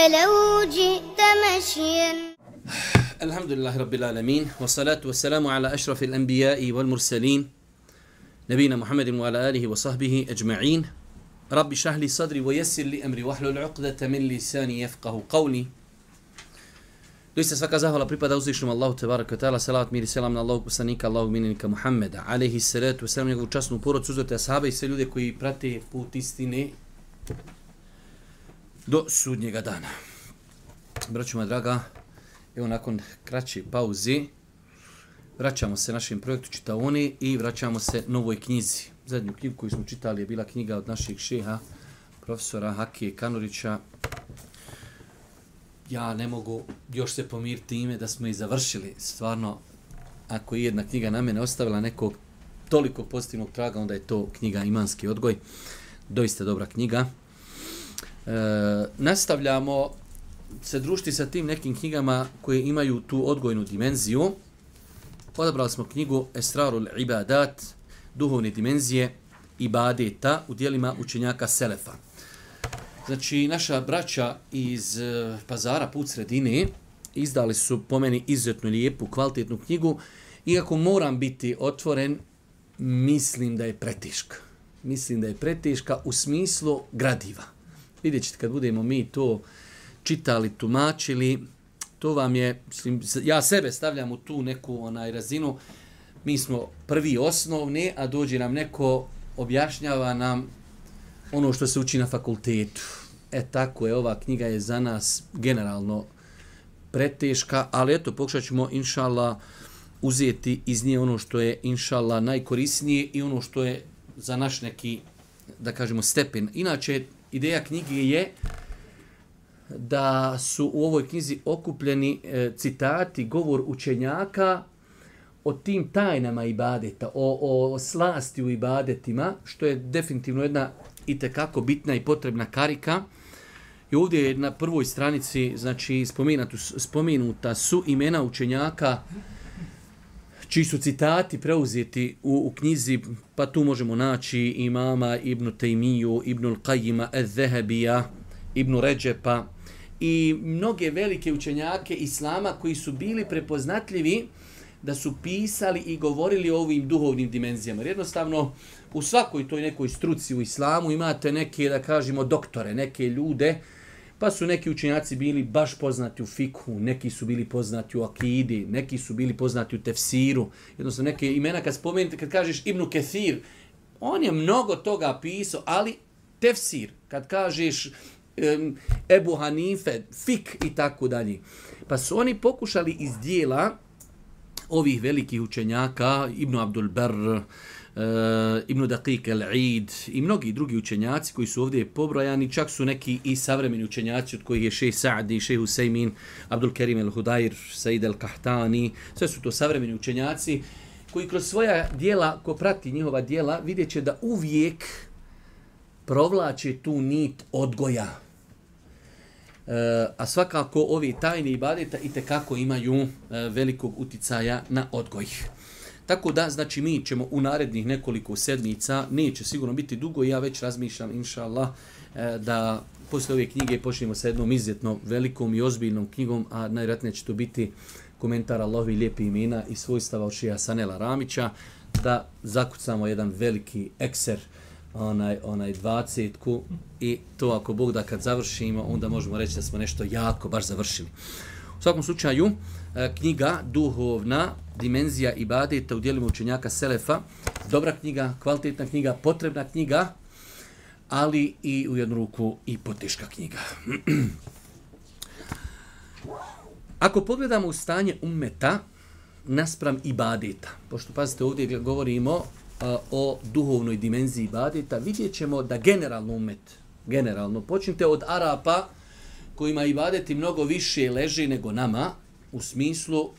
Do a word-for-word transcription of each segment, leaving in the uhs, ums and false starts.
فلو جئت مشيا. الحمد لله رب العالمين والصلاة والسلام على أشرف الأنبياء والمرسلين نبينا محمد وعلى آله وصحبه أجمعين. رب اشرح لي صدري ويسر لي أمري واحلل عقدة من لساني يفقه قولي. Doista svaka zahvala pripada uzvišenom Allahu tebareke ve taala, salavat mir i selam na Allahog poslanika, Allahog miljenika Muhammeda, alejhi salatu vesselam, njegovu časnu porodicu, uzorite ashabe i sve ljude koji prate put istine do sudnjega dana. Braćo moja draga, evo nakon kraće pauze vraćamo se našem projektu čitaoni i vraćamo se novoj knjizi. Zadnju knjigu koju smo čitali je bila knjiga od našeg šeha, profesora Hakije Kanurića. Ja ne mogu još se pomiriti ime da smo i završili. Stvarno, ako je jedna knjiga na mene ostavila nekog toliko pozitivnog traga, onda je to knjiga Imanski odgoj. Doista dobra knjiga. E, nastavljamo se družiti sa tim nekim knjigama koje imaju tu odgojnu dimenziju. Odabrali smo knjigu Esrarul Ibadat, duhovne dimenzije ibadeta u dijelima učenjaka Selefa. Znači, naša braća iz Pazara Put sredine izdali su po meni izuzetno lijepu, kvalitetnu knjigu. Iako moram biti otvoren, mislim da je preteška. Mislim da je preteška u smislu gradiva. Vidjet ćete kad budemo mi to čitali, tumačili, to vam je, mislim, ja sebe stavljam u tu neku onaj razinu. Mi smo prvi osnovni, a dođe nam neko, objašnjava nam ono što se uči na fakultetu. E tako je, ova knjiga je za nas generalno preteška, ali eto, pokušat ćemo, inša Allah, uzeti iz nje ono što je, inša Allah, najkorisnije i ono što je za naš neki, da kažemo, stepen. Inače, ideja knjige je da su u ovoj knjizi okupljeni e, citati, govor učenjaka o tim tajnama ibadeta, o, o slasti u ibadetima, što je definitivno jedna itekako bitna i potrebna karika. I ovdje je na prvoj stranici, znači, spomenuta su imena učenjaka čiji su citati preuzeti u, u knjizi, pa tu možemo naći imama Ibn Tejmiju, Ibnul Qajima, Az-Zahabija, Ibn Ređepa i mnoge velike učenjake Islama koji su bili prepoznatljivi da su pisali i govorili o ovim duhovnim dimenzijama. Jer jednostavno, u svakoj toj nekoj struci u Islamu imate neke, da kažemo, doktore, neke ljude, pa su neki učenjaci bili baš poznati u fikhu, neki su bili poznati u akidi, neki su bili poznati u tefsiru. Jednostavno, neke imena kad spomenete, kad kažeš Ibn Kathir, on je mnogo toga pisao, ali tefsir, kad kažeš um, Ebu Hanife, fik i tako dalje. Pa su oni pokušali iz dijela ovih velikih učenjaka, Ibn Abdul Barr, uh, Ibn Daqiq al-Eid i mnogi drugi učenjaci koji su ovdje pobrojani, čak su neki i savremeni učenjaci od kojih je šejh Sa'di, šejh Husaymin, Abdul Kerim al-Hudayr, Said al-Kahtani, sve su to savremeni učenjaci koji kroz svoja dijela, ko prati njihova dijela, vidjet će da uvijek provlače tu nit odgoja. Uh, a svakako ovi tajni ibadeta itekako imaju uh, velikog uticaja na odgoj. Tako da, znači, mi ćemo u narednih nekoliko sedmica, neće sigurno biti dugo, ja već razmišljam, inša Allah, uh, da posle ove knjige počnemo sa jednom izuzetno velikom i ozbiljnom knjigom, a najvjerojatnije će to biti komentar Allahovi lijepi imena i svojstava od šeha Sanela Ramića, da zakucamo jedan veliki ekser, onaj, onaj dvadesetku i to ako Bog da kad završimo, onda možemo reći da smo nešto jako baš završili. U svakom slučaju, knjiga Duhovna dimenzija ibadeta u dijelima učenjaka Selefa, dobra knjiga, kvalitetna knjiga, potrebna knjiga, ali i u jednu ruku i poteška knjiga. Ako pogledamo u stanje ummeta naspram ibadeta, pošto pazite ovdje govorimo o duhovnoj dimenziji ibadeta, vidjet ćemo da generalno umet, generalno, počnite od Arapa, kojima ibadeti mnogo više leži nego nama, u smislu,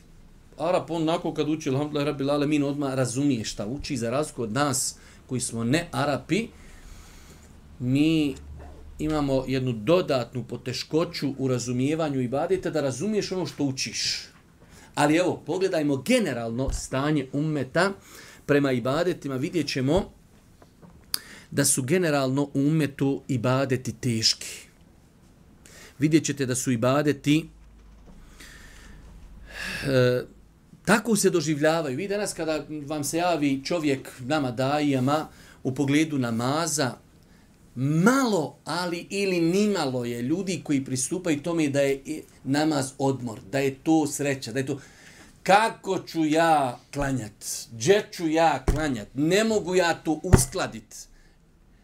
Arap, on nakon kad uči Alhamdulillah Rabbil Alemin, odmah razumije šta uči, za razliku od nas koji smo ne Arapi, mi imamo jednu dodatnu poteškoću u razumijevanju ibadeta, da razumiješ ono što učiš. Ali evo, pogledajmo generalno stanje ummeta prema ibadetima, vidjet ćemo da su generalno u ummetu ibadeti teški. vidjet ćete da su ibadeti e, tako se doživljavaju. Vi danas kada vam se javi čovjek nama dajama u pogledu namaza, malo, ali ili nimalo je ljudi koji pristupaju tome da je namaz odmor, da je to sreća, da je to kako ću ja klanjat, gdje ću ja klanjat, ne mogu ja to uskladiti.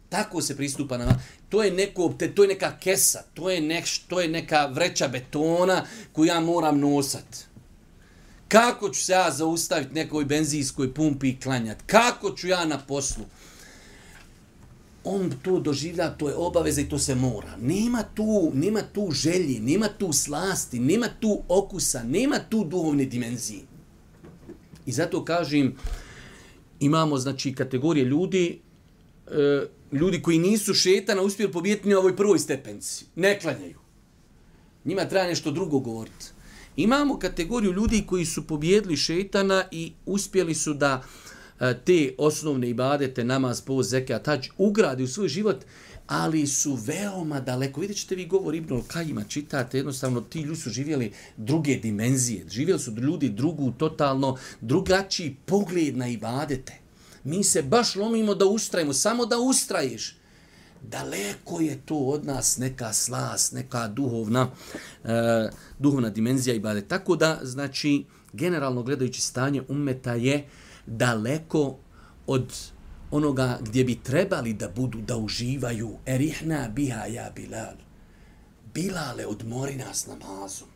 Tako se pristupa nama. To je, neko, to je neka kesa, to je, nek, to je neka vreća betona koju ja moram nosat. Kako ću se ja zaustaviti nekoj benzinskoj pumpi i klanjat? Kako ću ja na poslu? On to doživlja, to je obaveza i to se mora. Nema tu, nema tu želje, nema tu slasti, nema tu okusa, nema tu duhovne dimenzije. I zato kažem, imamo znači kategorije ljudi, e, ljudi koji nisu šetana uspjeli pobijediti na ovoj prvoj stepenci. Ne klanjaju. Njima treba nešto drugo govoriti. Imamo kategoriju ljudi koji su pobjedili šetana i uspjeli su da te osnovne ibadete, namaz, post, zekat, hadž, ugradi u svoj život, ali su veoma daleko. Vidjet ćete vi govor Ibnul Kajima, čitate, jednostavno ti ljudi su živjeli druge dimenzije. Živjeli su ljudi drugu, totalno drugačiji pogled na ibadete. Mi se baš lomimo da ustrajemo, samo da ustraješ. Daleko je to od nas neka slast, neka duhovna, uh, duhovna dimenzija ibadeta. Tako da, znači, generalno gledajući stanje ummeta je daleko od onoga gdje bi trebali da budu, da uživaju. Erihna biha ja Bilal. Bilale, odmori nas namazom.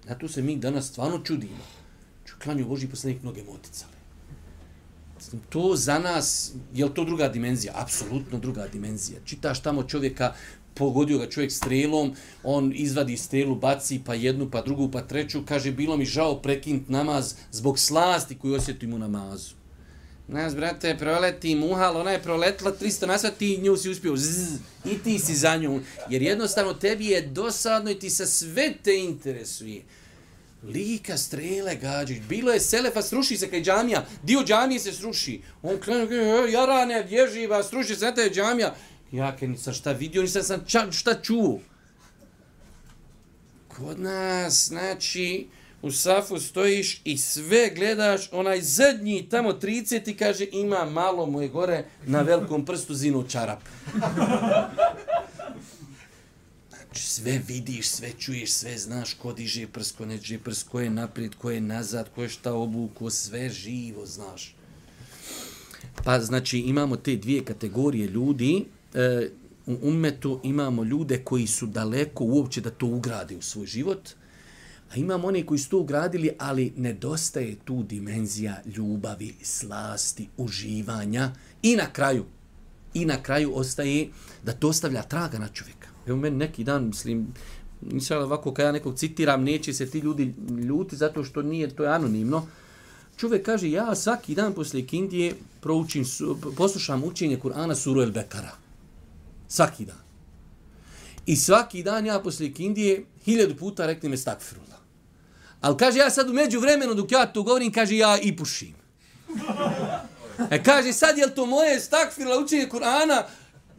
Na to se mi danas stvarno čudimo. Klanju Božji poslanik noge moticale. To za nas, je li to druga dimenzija? Apsolutno druga dimenzija. Čitaš tamo čovjeka, pogodio ga čovjek strelom, on izvadi strelu, baci pa jednu, pa drugu, pa treću, kaže, bilo mi žao prekinut namaz zbog slasti koju osjetim u namazu. Nas, brate, proleti muhal, ona je proletla tristo na sat, ti nju si uspio, zzz, i ti si za nju. Jer jednostavno tebi je dosadno i ti sa sve te interesuje. Lika, strele, gađiš. Bilo je selefa, sruši se kaj džamija. Dio džamije se sruši. On krenu, jarane, vježiva, sruši se, te džamija. Ja kaj nisam šta vidio, nisam sam ča, šta čuo. Kod nas, znači, u safu stojiš i sve gledaš, onaj zadnji, tamo trideset i kaže, ima malo moje gore na velikom prstu zinu čarap. Znači, sve vidiš, sve čuješ, sve znaš ko diže prst, ko ne diže prst, ko je naprijed, ko je nazad, ko je šta obuko, sve živo znaš. Pa, znači, imamo te dvije kategorije ljudi. E, u ummetu imamo ljude koji su daleko uopće da to ugrade u svoj život, a imamo one koji su to ugradili, ali nedostaje tu dimenzija ljubavi, slasti, uživanja i na kraju, i na kraju ostaje da to ostavlja traga na čovjeka. Evo meni neki dan, mislim, nisam ovako kada ja nekog citiram, neće se ti ljudi ljuti zato što nije, to je anonimno. Čovjek kaže, ja svaki dan poslije kindije proučim, poslušam učenje Kur'ana suru El Bekara. Svaki dan. I svaki dan ja poslije kindije hiljadu puta reknem estakfirullah. Ali kaže, ja sad u međuvremenu dok ja to govorim, kaže, ja i pušim. E kaže, sad je li to moje estakfirullah učenje Kur'ana,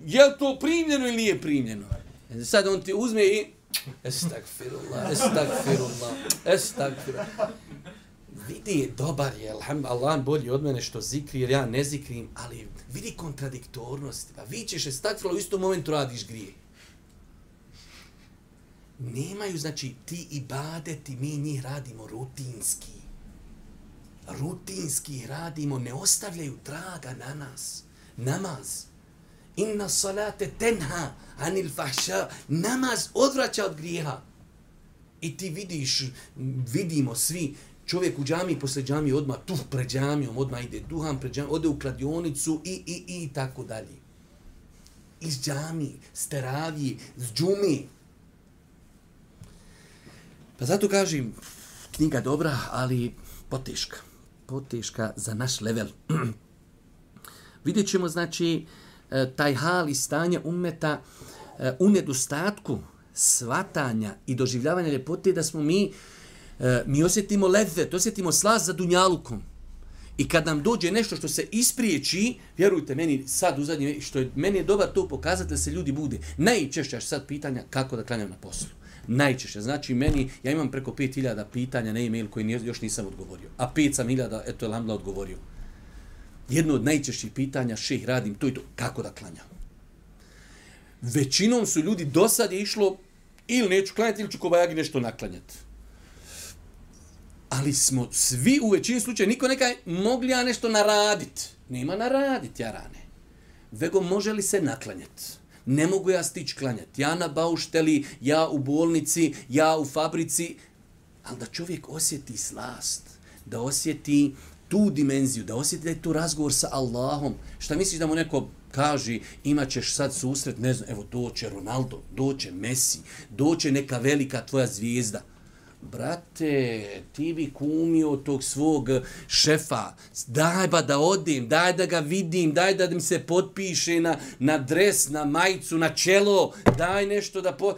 je li to primljeno ili nije primljeno? E sad on ti uzme i estakfirullah, estakfirullah, estakfirullah. Vidi, dobar je, alhamdulillah, bolji od mene što zikri, jer ja ne zikrim, ali vidi kontradiktornosti. Pa vi ćeš estakfirullah, u istom momentu radiš grije. Nemaju, znači, ti ibadeti, mi njih radimo rutinski. Rutinski ih radimo, ne ostavljaju traga na nas. Namaz. Inna salate tenha anil fahša. Namaz odvraća od grijeha. I ti vidiš, vidimo svi, čovjek u džamiji, posle džamije odmah tu pred džamijom, odmah ide duhan pred džamijom, ode u kladionicu i, i, i tako dalje. Iz džamije, s teravije, s džumi. Pa zato kažem, knjiga dobra, ali poteška. Poteška za naš level. Vidjet ćemo, znači, taj hal i stanje ummeta u nedostatku svatanja i doživljavanja ljepote da smo mi, mi osjetimo levet, osjetimo slast za dunjalukom. I kad nam dođe nešto što se ispriječi, vjerujte meni, sad u zadnje, što je, meni je dobar to pokazati da se ljudi bude. Najčešće sad pitanja kako da klanjam na poslu. Najčešće. Znači meni, ja imam preko pet hiljada pitanja na e-mail koji još nisam odgovorio. A pet hiljada, eto je Alhamdulillah odgovorio. Jedno od najčešćih pitanja, šejh radim to i to, kako da klanjam. Većinom su ljudi do sad je išlo ili neću klanjati ili ću kobajagi nešto naklanjati. Ali smo svi u većini slučaja, niko neka mogli ja nešto naradit. Nema naradit, ja rane. Vego može li se naklanjati? Ne mogu ja stići klanjati. Ja na baušteli, ja u bolnici, ja u fabrici. Ali da čovjek osjeti slast, da osjeti tu dimenziju, da osjeti da je to razgovor sa Allahom. Šta misliš da mu neko kaže, imat ćeš sad susret, ne znam, evo doće Ronaldo, doće Messi, doće neka velika tvoja zvijezda. Brate, ti bi kumio tog svog šefa, daj ba da odim, daj da ga vidim, daj da mi se potpiše na, na dres, na majicu, na čelo, daj nešto da... Po...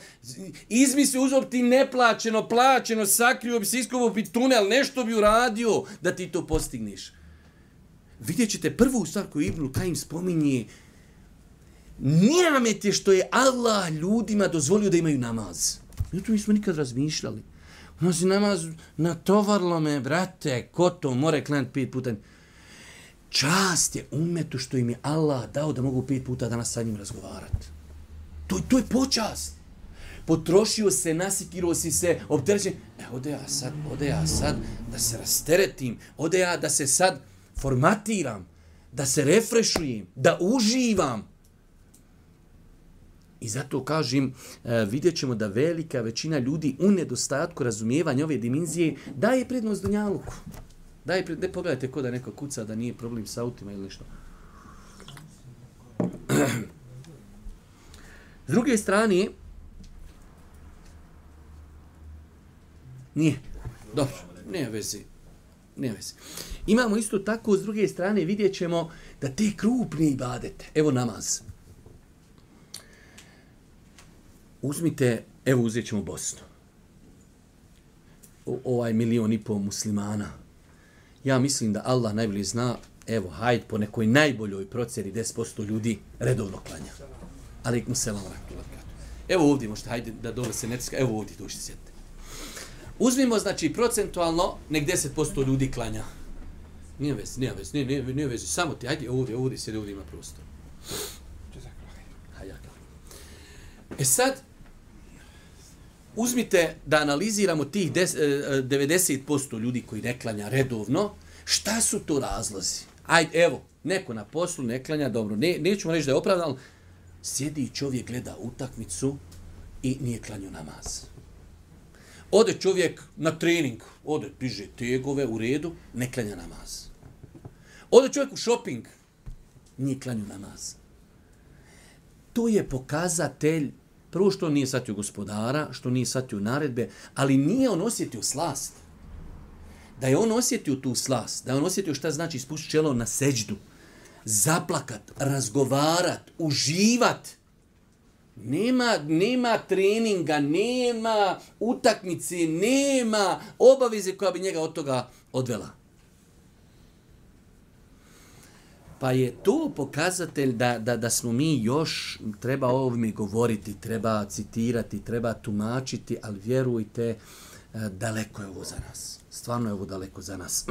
Izmisli, uzor ti neplaćeno, plaćeno, sakrio bi se, iskopao bi tunel, nešto bi uradio da ti to postigneš. Vidjet ćete prvu stvar koju Ibnul Kajim spominje, nijamet je što je Allah ljudima dozvolio da imaju namaz. Mi to nismo nikad razmišljali. Znači, namaz natovarlo me, brate, ko to more klanjati pet puta. Čast je umetu što im je Allah dao da mogu pet puta danas sa njim razgovarati. To, to je počast. Potrošio se, nasikirao si se, opterećen. E, ode ja sad, ode ja sad da se rasteretim, ode ja da se sad formatiram, da se refrešujem, da uživam. I zato kažem, vidjet ćemo da velika većina ljudi u nedostatku razumijevanja ove dimenzije daje prednost dunjaluku. Daje pred... Ne pogledajte ko da neko kuca, da nije problem sa autima ili nešto. S druge strane, nije, dobro, nije vezi, nije vezi. Imamo isto tako, s druge strane, vidjet ćemo da te krupne ibadete, evo namaz. Uzmite, evo uzet ćemo Bosnu. O, ovaj milion i pol muslimana. Ja mislim da Allah najbolje zna, evo, hajde po nekoj najboljoj procjeni deset posto ljudi redovno klanja. Alejkum selam wa rahmetullahi wa barakatuh. Evo ovdje možete, hajde da dole se ne tiska, evo ovdje došli sjedite. Uzmimo, znači, procentualno, nek deset posto ljudi klanja. Nije vezi, nije vezi, nije, nije, nije vezi, samo ti, hajde ovdje, ovdje, sjede, ovdje ima prostor. E sad, uzmite da analiziramo tih devedeset posto ljudi koji ne klanja redovno, šta su to razlozi? Ajde, evo, neko na poslu ne klanja, dobro, ne, nećemo reći da je opravdan, ali sjedi čovjek, gleda utakmicu i nije klanju namaz. Ode čovjek na trening, ode, piže tegove u redu, ne klanja namaz. Ode čovjek u shopping, nije klanju namaz. To je pokazatelj, prvo što nije satio gospodara, što nije satio naredbe, ali nije on osjetio slast. Da je on osjetio tu slast, da je on osjetio šta znači spušti čelo na seđdu, zaplakat, razgovarat, uživat. Nema, nema treninga, nema utakmice, nema obaveze koja bi njega od toga odvela. Pa je to pokazatelj da, da, da smo mi još, treba o ovome govoriti, treba citirati, treba tumačiti, ali vjerujte, daleko je ovo za nas. Stvarno je ovo daleko za nas.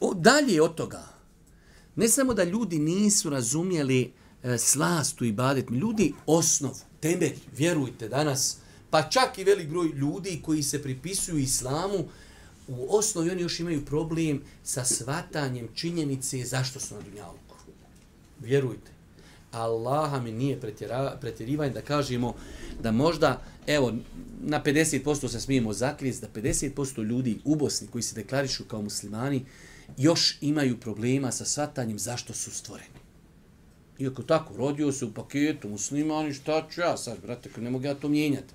O, dalje od toga, ne samo da ljudi nisu razumjeli slast u ibadetu, ljudi osnov, temelj, vjerujte danas, pa čak i velik broj ljudi koji se pripisuju islamu, u osnovi oni još imaju problem sa shvatanjem činjenice zašto su na dunjaluku. Vjerujte. Allaha mi nije pretjerivanje da kažemo da možda, evo, na pedeset posto se smijemo zakljeti, da pedeset posto ljudi u Bosni koji se deklarišu kao muslimani još imaju problema sa shvatanjem zašto su stvoreni. Iako tako, rodio se u paketu muslimani, šta ću ja sad, brate, ne mogu ja to mijenjati.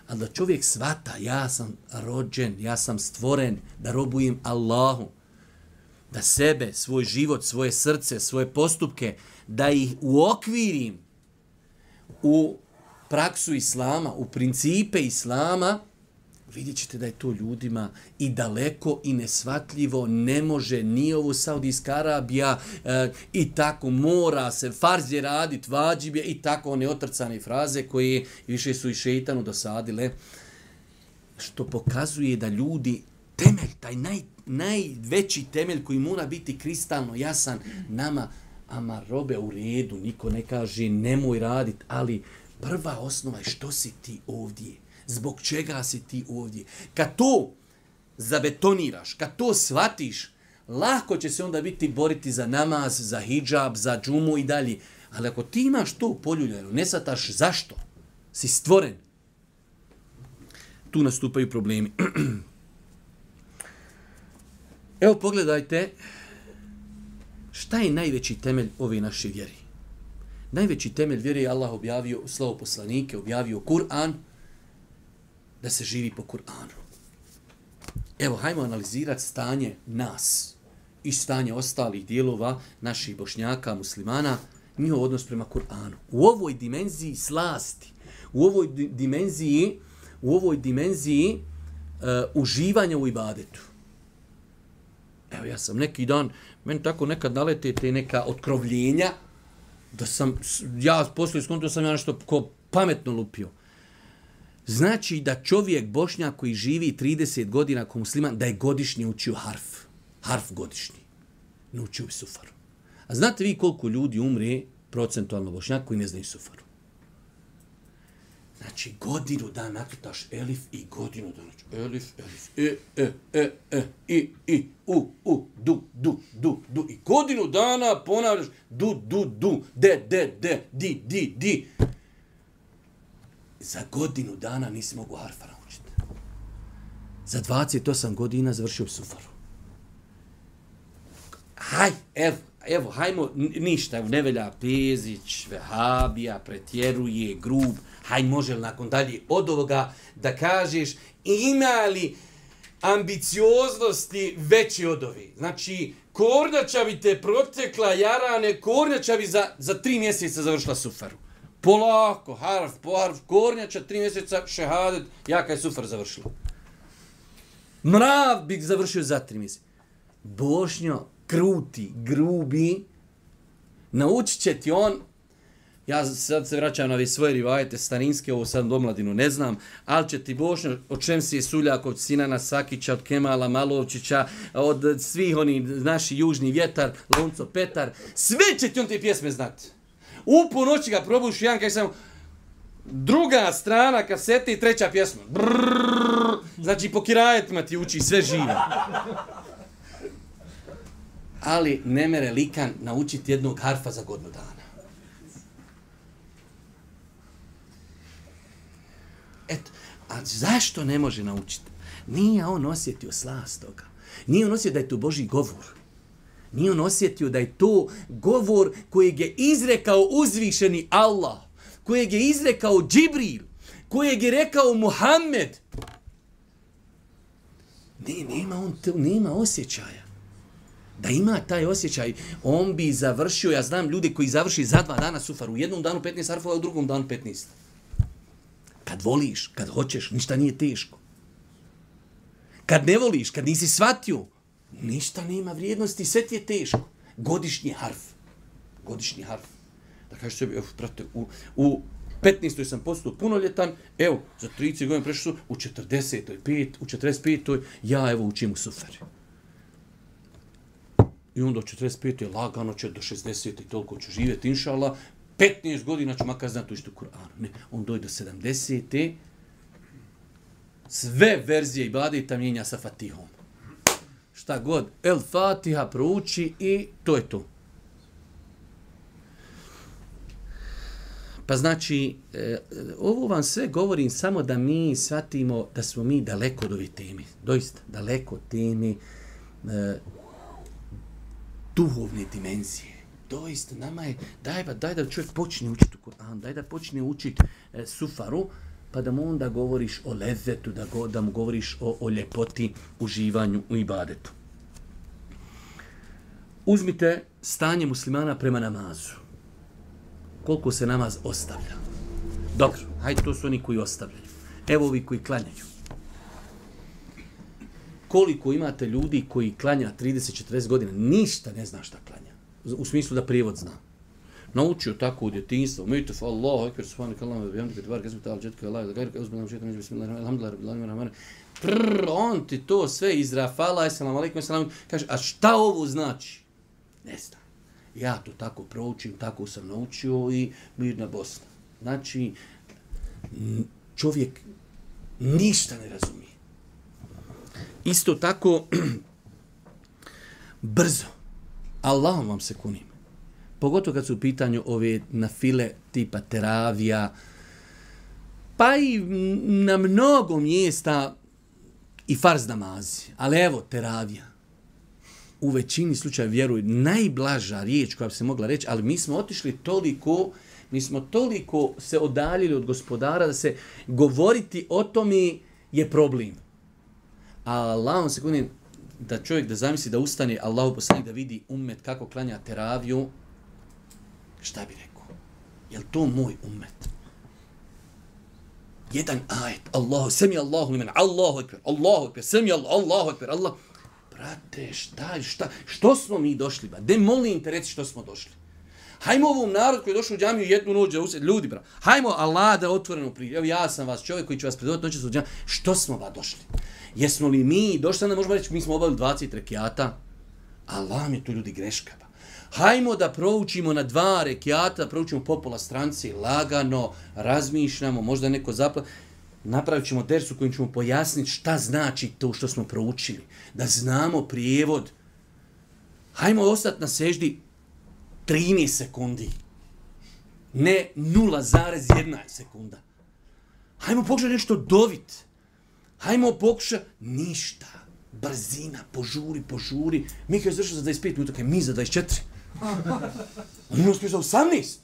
Ali da čovjek shvata, ja sam rođen, ja sam stvoren da robujem Allahu, da sebe, svoj život, svoje srce, svoje postupke, da ih uokvirim u praksu islama, u principe islama, vidjet ćete da je to ljudima i daleko i nesvatljivo, ne može ni ovo Saudijska Arabija e, i tako mora se farz je radit, vađib je i tako one otrcane fraze koje više su i šeitanu dosadile, što pokazuje da ljudi temelj, taj naj, najveći temelj koji mora biti kristalno jasan nama, ama robe u redu, niko ne kaže nemoj radit, ali prva osnova je što si ti ovdje. Zbog čega si ti ovdje? Kad to zabetoniraš, kad to shvatiš, lako će se onda biti boriti za namaz, za hidžab, za džumu i dalje. Ali ako ti imaš to poljuljeno, ne shvataš zašto si stvoren, tu nastupaju problemi. Evo pogledajte šta je najveći temelj ove naše vjere. Najveći temelj vjere je Allah objavio slovo poslanike, objavio Kur'an, da se živi po Kur'anu. Evo, hajmo analizirati stanje nas i stanje ostalih dijelova naših Bošnjaka, muslimana, njihov odnos prema Kur'anu. U ovoj dimenziji slasti, u ovoj dimenziji, u ovoj dimenziji uh, uživanja u ibadetu. Evo, ja sam neki dan, meni tako nekad naletete neka otkrovljenja, da sam, ja poslije skontio sam ja nešto ko pametno lupio. Znači da čovjek Bošnjak koji živi trideset godina kao musliman, da je godišnje učio harf. Harf godišnji. Ne učio je sufaru. A znate vi koliko ljudi umre procentualno Bošnjak koji ne znaju sufaru? Znači godinu dana nakritaš elif i godinu dana. Elif, elif, e, e, e, e, i, i, u, u, du, du, du, du. I godinu dana ponavljaš du, du, du, de, de, de, di, di, di. Za godinu dana nisi mogu harfa naučiti. Za dvadeset osam godina završio sufaru. Haj, evo, evo, hajmo, ništa, evo, Nevelja Pezić, Vehabija, pretjeruje, grub, haj, može li nakon dalje od ovoga da kažeš ima li ambicioznosti veći od ovi. Znači, Kornjača bi te protekla, Jarane, Kornjača bi za, za tri mjeseca završila sufaru. Polako, harf, po harf, Kornjača, tri mjeseca, šehadet, jaka je sufar završila. Mrav bi završio za tri mjeseca. Bošnjo, kruti, grubi, naučit će ti on, ja sad se vraćam na ove svoje rivajete starinske, ovo sad domladinu ne znam, ali će ti Bošnjo, od čem si je Suljak, od Sinana Sakića, od Kemala Malovčića, od svih oni naši južni vjetar, Lonco Petar, sve će ti on te pjesme znati. U ponoći ga probuš jedan, kaj sam druga strana kasete i treća pjesma. Brrrr, znači po kirajetima ti uči sve živo. Ali ne mere likan naučiti jednog harfa za godinu dana. Eto, a zašto ne može naučiti? Nije on osjetio slast toga. Nije on osjetio da je to Božji govor. Nije on osjetio da je to govor kojeg je izrekao uzvišeni Allah, kojeg je izrekao Džibril, kojeg je rekao Muhammed. Ne, nema on to, nema osjećaja. Da ima taj osjećaj, on bi završio, ja znam ljude koji završi za dva dana sufar, u jednom danu petnaest harfova, u drugom danu petnaest. Kad voliš, kad hoćeš, ništa nije teško. Kad ne voliš, kad nisi shvatio, ništa nema vrijednosti, sve ti je teško. Godišnji harf. Godišnji harf. Da kažeš sebi, evo, brate, u, u petnaestoj sam postao punoljetan, evo, za trideset godina prešao u četrdesetoj, pet, u četrdeset petoj ja evo učim u sufari. I onda u četrdeset petoj lagano će do šezdesete i toliko ću živjeti, inšala, petnaest godina ću makar znati učiti u Kur'anu. Ne, on dođe do sedamdesete sve verzije ibadeta mijenja sa Fatihom. Šta god, El Fatiha prouči i to je to. Pa znači, e, ovo vam sve govorim samo da mi shvatimo da smo mi daleko od ove teme. Doista, daleko od teme e, duhovne dimenzije. Doista, nama je, daj, ba, daj da čovjek počne učiti Kur'an, daj da počne učiti e, sufaru, pa da mu onda govoriš o lezetu, da, go, da mu govoriš o, o ljepoti, uživanju u ibadetu. Uzmite stanje muslimana prema namazu. Koliko se namaz ostavlja. Dobro, hajde, to su oni koji ostavljaju. Evo ovi koji klanjaju. Koliko imate ljudi koji klanja trideset četrdeset godina, ništa ne zna šta klanja. U smislu da prijevod zna. Naučio tako u djetinjstvu. Mejte fa Allahu ekber subhanak Allahumma wa bihamdika tabarak ismuka ta'ala jadduka la ilaha illa anta uzbillahu min shaytanir rajim bismillahir alhamdulillahi rabbil alamin arrahmanir rahim. On ti to sve iz rafala, assalamu alejkum, assalamu. Kaže, a šta ovo znači? Ne zna. Ja to tako proučim, tako sam naučio i mirna Bosna. Znači, čovjek ništa ne razumije. Isto tako, brzo. Allahom vam se kunim. Pogotovo kad su u pitanju ove nafile tipa teravija, pa i na mnogo mjesta i farz namazi. Ali evo, teravija. U većini slučaja, vjeruj, najblaža riječ koja bi se mogla reći, ali mi smo otišli toliko, mi smo toliko se odaljili od Gospodara da se govoriti o tome je problem. A Allahom se kunim da čovjek da zamisli da ustane Allahu poslanik da vidi ummet kako klanja teraviju, šta bi rekao? Jel to moj ummet? Jedan ajet, Allahu, sami Allahu limen, Allahu ekber, Allahu ekber, sami Allahu ekber, Allah. Brate, šta, šta, što smo mi došli, ba? De molim te reci što smo došli. Hajmo ovom narod koji je došao u džamiju jednu noć da usjeti, ljudi, bra, hajmo Allah da otvoreno prije. Evo ja sam vas, čovjek koji će vas predvoditi noći u džamiju, što smo ba došli? Jesmo li mi došli, onda možemo reći, mi smo obavili dvadeset rekiata, Allah mi je tu ljudi greška, ba. Hajmo da proučimo na dva rekiata, proučimo popola stranci, lagano, razmišljamo, možda neko zapla. Napravit ćemo dersu kojim ćemo pojasniti šta znači to što smo proučili. Da znamo prijevod. Hajmo ostati na seždi trinaest sekundi. Ne nula zarez jedna sekunda. Hajmo pokušati nešto dovit. Hajmo pokušati ništa. Brzina, požuri, požuri. Mi kao završili za dvadeset pet minuta, kaj mi za dvadeset četiri. On je uspio za osamnaest.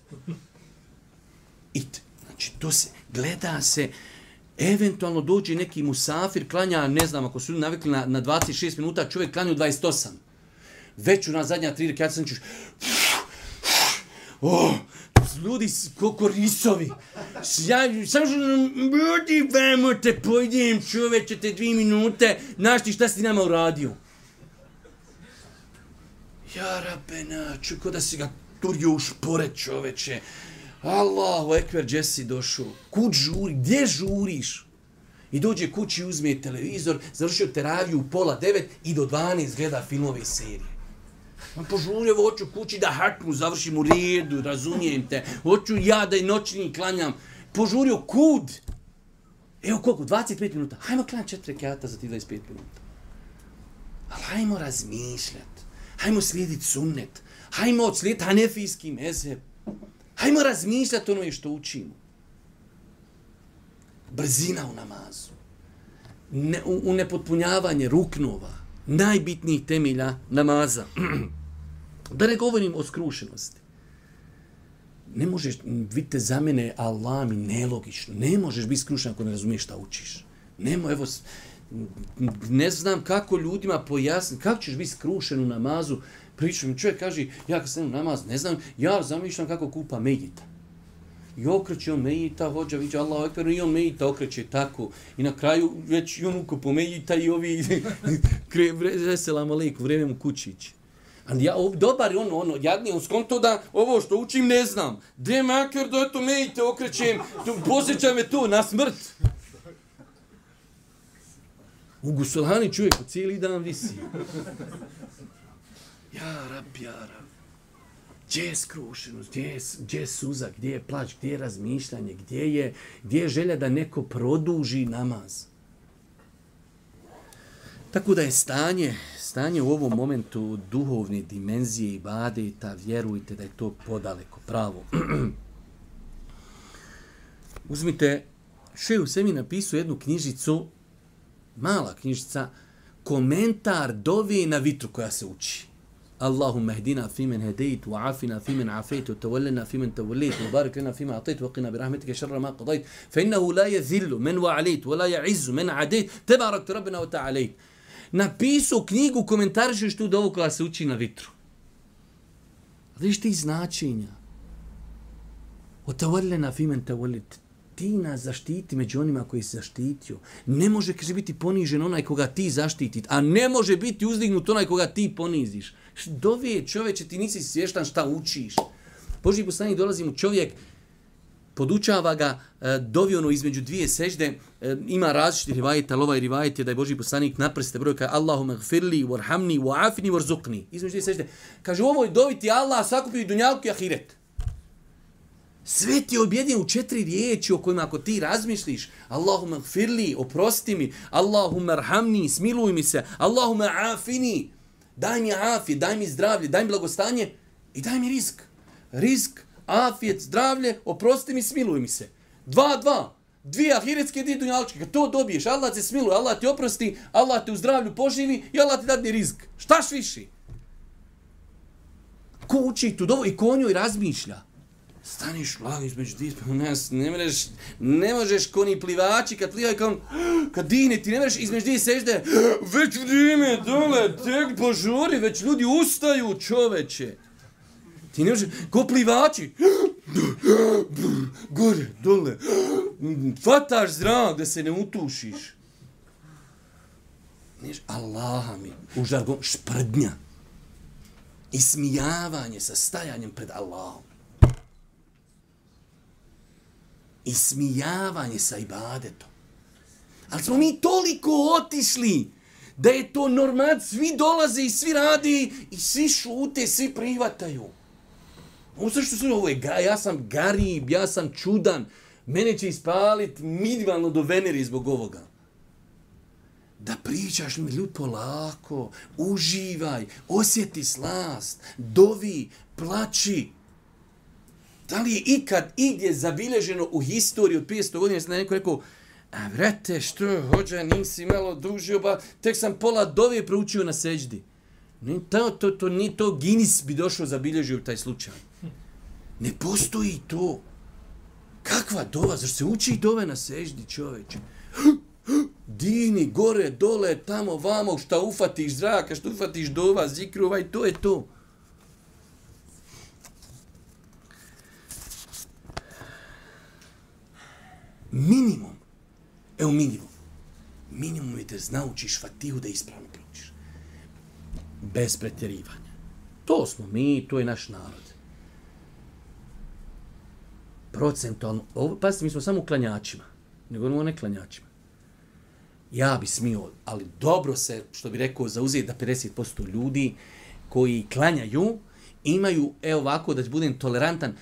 I znači, to se gleda se, eventualno dođe neki musafir, klanja, ne znam, ako su ljudi navikli na, na dvadeset šest minuta, čovjek klanja u dvadeset osam. Već u nas zadnja tri rekiata sam čuš, oh, ljudi koliko risovi. Ja, samo što nam, ljudi, vemo te, pojdem, čoveče, te dvije minute, znaš ti šta si nama uradio? Ja, rabena, čuj, ko da si ga turio u šporet, čoveče. Allahu ekber, gdje si došao? Kud žuri? Gdje žuriš? I dođe kući, uzme televizor, završio teraviju u pola devet i do dvanaest gleda filmove i serije. On požurio, hoću kući da hatmu, završim u redu, razumijem te. Hoću ja da i noćni klanjam. Požurio, kud? Evo koliko? dvadeset pet minuta. Hajmo klanjati četiri rekiata za ti dvadeset pet minuta. Ali hajmo razmišljati. Hajmo slijediti sunnet. Hajmo odslijediti hanefijski mezheb. Hajmo razmišljati ono što učimo. Brzina u namazu. Ne, u, u nepotpunjavanje ruknova. Najbitnijih temelja namaza. Da ne govorim o skrušenosti. Ne možeš, vidite za mene, Allah mi nelogično. Ne možeš biti skrušen ako ne razumiješ šta učiš. Nemo, evo, ne znam kako ljudima pojasniti, kako ćeš biti skrušen u namazu. Pričam, čovjek kaže, ja kad sam u namaz, ne znam, ja zamišljam kako kupa mejita. I okreće on mejita, hođa, viđa Allahu ekber, i on mejita okreće tako. I na kraju već i on ukupo mejita i ovi, selam alejkum, vrijeme mu kućići. A ja, dobar je on, ono, jadni, on skonto da ovo što učim ne znam. De makar da eto mejite okrećem, posjećaj me to na smrt. U gusulhani čovjek po cijeli dan visi. Ja rab, ja rab. Gdje je skrušenost, gdje je, gdje je suza, gdje je plać, gdje je razmišljanje, gdje je, gdje je želja da neko produži namaz. Tako da je stanje, stanje u ovom momentu duhovne dimenzije i ibadeta, vjerujte da je to podaleko pravo. Uzmite, Šejh Semi napisao jednu knjižicu, mala knjižica, komentar dovi na vitru koja se uči. Allahumma hdina fimen hedejt, wa afina fimen afejt, wa tawallena fimen tawallejt, wa barik lana fima atajt, wa qina bi rahmetika šarra ma qadajt, fa innahu la yadhillu men wa'alejt, wa la ya'izzu men adejt, tebarak rabbina wa ta'alejt. Napisao knjigu, komentarišeš tu dovu koja se uči na vitru. Viš ti značenja. Wa tawallena fimen tawallejt. ti nas zaštiti među onima koji se zaštitio. Ne može, kaže, biti ponižen onaj koga ti zaštiti, a ne može biti uzdignut onaj koga ti poniziš. Dovije, čoveče, ti nisi svještan šta učiš. Božji poslanik dolazi mu čovjek, podučava ga, dovi ono između dvije sežde, ima različiti rivajeta, ali ovaj rivajet je da je Božji poslanik na prste broj, kaže Allahumma gfirli, warhamni, wa'afni, warzuqni. Između dvije sežde. Kaže, u ovoj dovi ti Allah sakupio i dunjalku i ahiret. Sve ti je objedinjeno u četiri riječi o kojima ako ti razmišliš, Allahumma gfirli, oprosti mi, Allahumma arhamni, smiluj mi se, Allahumma afini, daj mi afije, daj mi zdravlje, daj mi blagostanje i daj mi rizik. Rizik, afijet, zdravlje, oprosti mi, smiluj mi se. Dva, dva. Dvije ahiretske, dvije dunjalčke. Kad to dobiješ, Allah te smiluje, Allah ti oprosti, Allah te u zdravlju poživi i Allah ti dadne rizik. Štaš viši? Ko uči tu dovu i ko o njoj razmišlja? Staniš lago između dvije, ne mreš, ne možeš ko ni plivači kad plivaju kao kad dine, ti ne mreš između dvije sežde, već vrijeme dole, tek požuri, već ljudi ustaju, čoveče. Ti ne možeš, ko plivači, gore, dole, hvataš zrak da se ne utušiš. Neš, Allaha mi, u žargon, šprdnja. Ismijavanje sa stajanjem pred Allahom. Ismijavanje sa ibadetom. Ali smo mi toliko otišli da je to normat, svi dolaze i svi radi i svi šute, svi privataju. Ovo što su, ovo je, ja sam garib, ja sam čudan, mene će ispaliti minimalno do Veneri zbog ovoga. Da pričaš mi ljud polako, uživaj, osjeti slast, dovi, plači. Da li je ikad igdje zabilježeno u historiji od petsto godina, da je neko rekao, a vrete, što hođa, nisi malo dužio, ba, tek sam pola dove proučio na seđdi. Ne, to, to, to, ni to Guinness bi došao zabilježio u taj slučaj. Ne postoji to. Kakva dova? Zašto se uči dove na seždi, čoveče? Dini, gore, dole, tamo, vamo, šta ufatiš zraka, šta ufatiš dova, zikruva i to je to. Minimum. Evo minimum. Minimum je da naučiš Fatihu da ispravno proučiš. Bez pretjerivanja. To smo mi, to je naš narod. Procentualno, pazite, mi smo samo u klanjačima. Ne govorimo o neklanjačima. Ja bi smio, ali dobro se, što bi rekao, zauzeti da pedeset posto ljudi koji klanjaju, imaju, evo ovako, da budem tolerantan,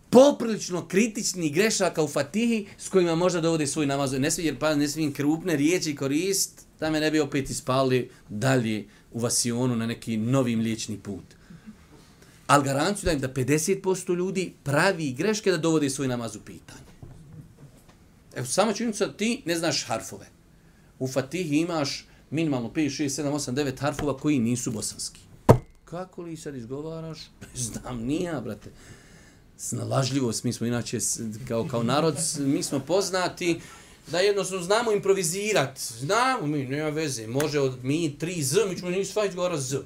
poprilično kritični grešaka u Fatihi s kojima možda dovode svoj namaz. Ne svijem, jer pa ne svijem krupne riječi korist, da me ne bi opet ispali dalje u vasionu na neki novi mliječni put. Ali garanciju dajem da pedeset posto ljudi pravi greške da dovode svoj namaz u pitanje. Evo, samo činjenica, ti ne znaš harfove. U Fatihi imaš minimalno pet, šest, sedam, osam, devet harfova koji nisu bosanski. Kako li sad izgovaraš? Znam, nija, brate. Snalažljivost, mi smo inače kao, kao narod, mi smo poznati da jednostavno znamo improvizirati. Znamo mi, nema veze, može od mi tri z, mi ćemo nisu fajt govara z.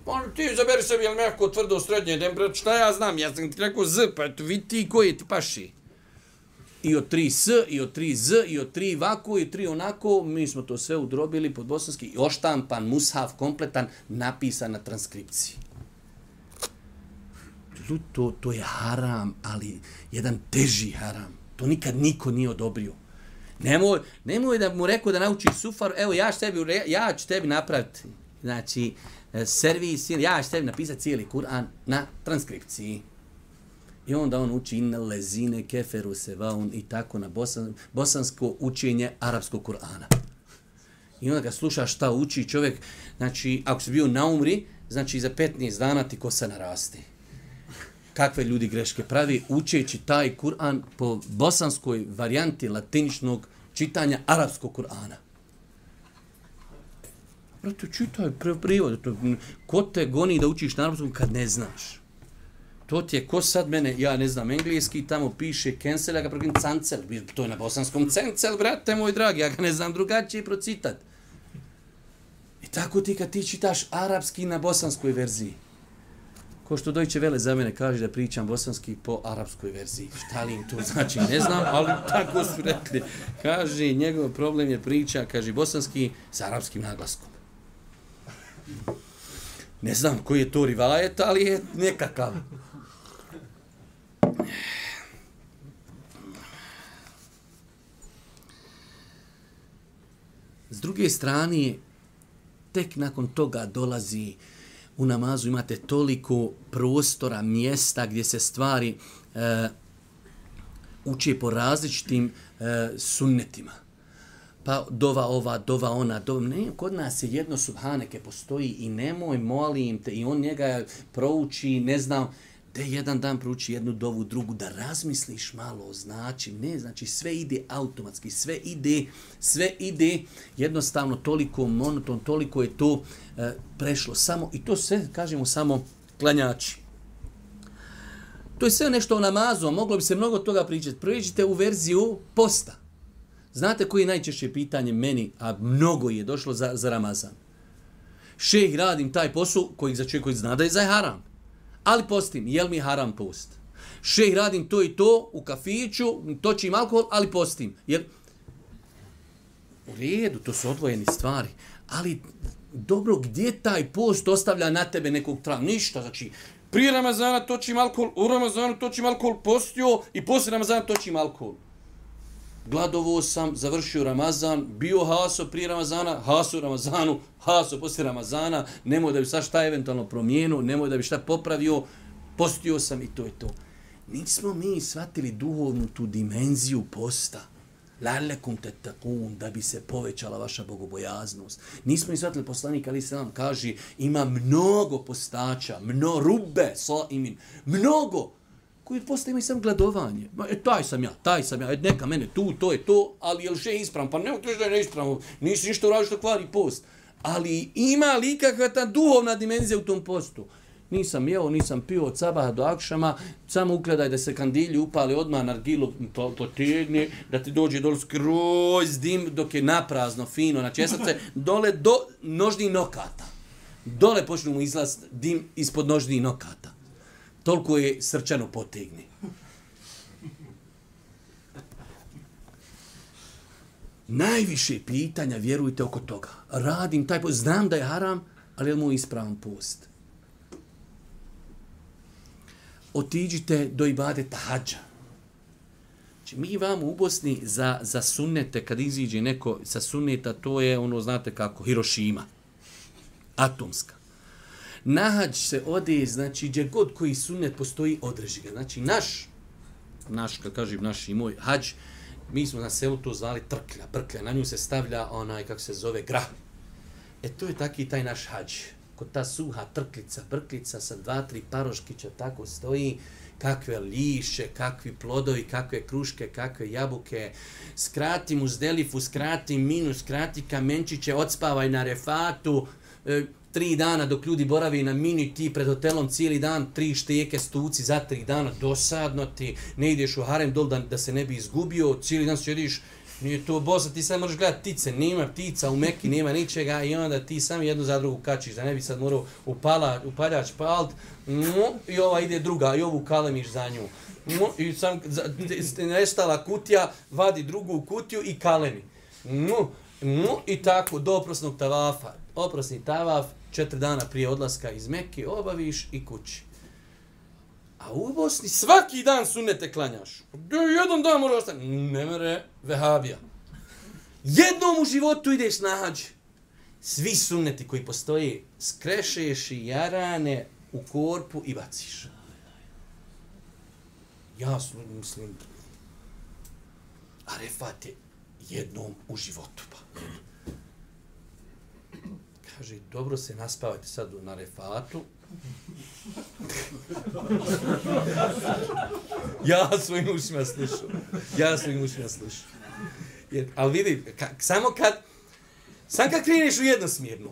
On, ti zaberi sebi, jel mehko, tvrdo, srednje, idem, šta ja znam, ja sam ti rekao z, pa eto, vidi ti koji ti paši. I od tri s, i od tri z, i od tri ovako, i tri onako, mi smo to sve udrobili pod bosanski, i oštampan, mushaf, kompletan, napisan na transkripciji. To, to je haram, ali jedan teži haram. To nikad niko nije odobrio. Nemoj, nemoj da mu rekao da nauči sufar, evo ja ću tebi, ja ću tebi napraviti, znači, servis, ja ću tebi napisati cijeli Kur'an na transkripciji. I onda on uči inna lezine keferu sevaun i tako na bosan, bosansko učenje arapskog Kur'ana. I onda ga slušaš šta uči čovjek, znači, ako si bio na umri, znači za petnaest dana ti kosa naraste. Kakve ljudi greške pravi učeći taj Kur'an po bosanskoj varijanti latiničnog čitanja arapskog Kur'ana. Brate, čitaj prijevod. Ko te goni da učiš na arapskom kad ne znaš? To ti je ko sad mene, ja ne znam engleski, tamo piše cancel, ja ga progledam cancel. To je na bosanskom cancel, brate moj dragi, ja ga ne znam drugačije procitat. I tako ti kad ti čitaš arapski na bosanskoj verziji. Ko što Deutsche Welle za mene kaže da pričam bosanski po arapskoj verziji. Šta li im to znači, ne znam, ali tako su rekli. Kaže, njegov problem je priča, kaže, bosanski s arapskim naglaskom. Ne znam koji je to rivajet, ali je nekakav. S druge strane, tek nakon toga dolazi u namazu, imate toliko prostora, mjesta gdje se stvari e, uče po različitim e, sunnetima. Pa dova ova, dova ona, dova, ne, kod nas je jedno subhaneke postoji i nemoj, molim te, i on njega prouči, ne znam, te jedan dan prouči jednu dovu, drugu, da razmisliš malo o znači, ne, znači sve ide automatski, sve ide, sve ide jednostavno toliko monoton, toliko je to e, prešlo samo, i to sve, kažemo, samo klanjači. To je sve nešto o namazu, moglo bi se mnogo toga pričati. Prijeđite u verziju posta. Znate koji je najčešće pitanje meni, a mnogo je došlo za, za Ramazan? Šejh, radim taj posao koji za čovjek koji zna da je za haram. Ali postim, jel mi haram post? Šejh, radim to i to u kafiću, točim alkohol, ali postim. Jel? U redu, to su odvojeni stvari. Ali dobro, gdje taj post ostavlja na tebe nekog traga? Ništa, znači, prije Ramazana točim alkohol, u Ramazanu točim alkohol, postio i poslije Ramazana točim alkohol. Gladovo sam, završio Ramazan, bio haso prije Ramazana, haso u Ramazanu, haso poslije Ramazana, nemoj da bi sad šta eventualno promijenio, nemoj da bi šta popravio, postio sam i to je to. Nismo mi shvatili duhovnu tu dimenziju posta. La'allakum tattaqun, da bi se povećala vaša bogobojaznost. Nismo mi shvatili, poslanik ali se nam kaže, ima mnogo postača, mno rubbe, sa'imin, mnogo, koji posta imaju sam gladovanje. E, taj sam ja, taj sam ja, e, neka mene tu, to je to, ali je li še ispravan? Pa nema treći da je neispravan, nisi ništa uradio što kvari post. Ali ima li kakva ta duhovna dimenzija u tom postu? Nisam jeo, nisam pio od sabaha do akšama, samo ukladaj da se kandilji upali odmah na argilu potegne, da ti dođe dole skroz dim dok je naprazno, fino, na česarce, dole do nožnih nokata. Dole počnu mu izlaz dim ispod nožnih nokata. Toliko je srčano potegne. Najviše pitanja, vjerujte, oko toga. Radim taj post, znam da je haram, ali je moj ispravan post. Otiđite do ibadeta hadža. Znači, mi vam u Bosni za, za sunnete, kad iziđe neko sa sunneta, to je ono, znate kako, Hirošima. Atomska. Na hadž se ode, znači, gdje god koji sunnet postoji, odreži ga. Znači, naš, naš, kad kažem naš i moj, hadž, mi smo na selu to zvali trklja, brklja. Na nju se stavlja onaj, kako se zove, grah. E, to je taki taj naš hadž. Kod ta suha trklica, brklica sa dva, tri paroškića tako stoji, kakve liše, kakvi plodovi, kakve kruške, kakve jabuke. Skrati muzdelifu, skrati minu, skrati kamenčiće, odspavaj na refatu, e, tri dana dok ljudi boravi na mini, ti pred hotelom cijeli dan, tri šteke stuci za tri dana, dosadno ti, ne ideš u harem dol da, da se ne bi izgubio, cijeli dan sjediš, nije to bosa, ti sad možeš gledati ptice, nema ptica u Meki, nema ničega i onda ti sam jednu za drugu kačiš, da ne bi sad morao upala, upaljač palt, i ova ide druga, i ovu kalemiš za nju. I sam nestala kutija, vadi drugu kutiju i kalemi. I tako, do oprosnog tavafa. Oprosni tavaf, četiri dana prije odlaska iz Mekke, obaviš i kući. A u Bosni svaki dan sunnete klanjaš. Jedan dan mora ostati. Ne mere, vehabija. Jednom u životu ideš na hadž. Svi sunneti koji postoje, skrešeš i jarane u korpu i baciš. Ja mislim, Arefat je jednom u životu. Pa. Kaže, dobro se naspavajte sad na Arefatu. Ja svojim ušima slušao. Ja svojim ušima slušao. Jer, ali vidi, ka, samo kad, sam kad kreneš u jednosmjernu,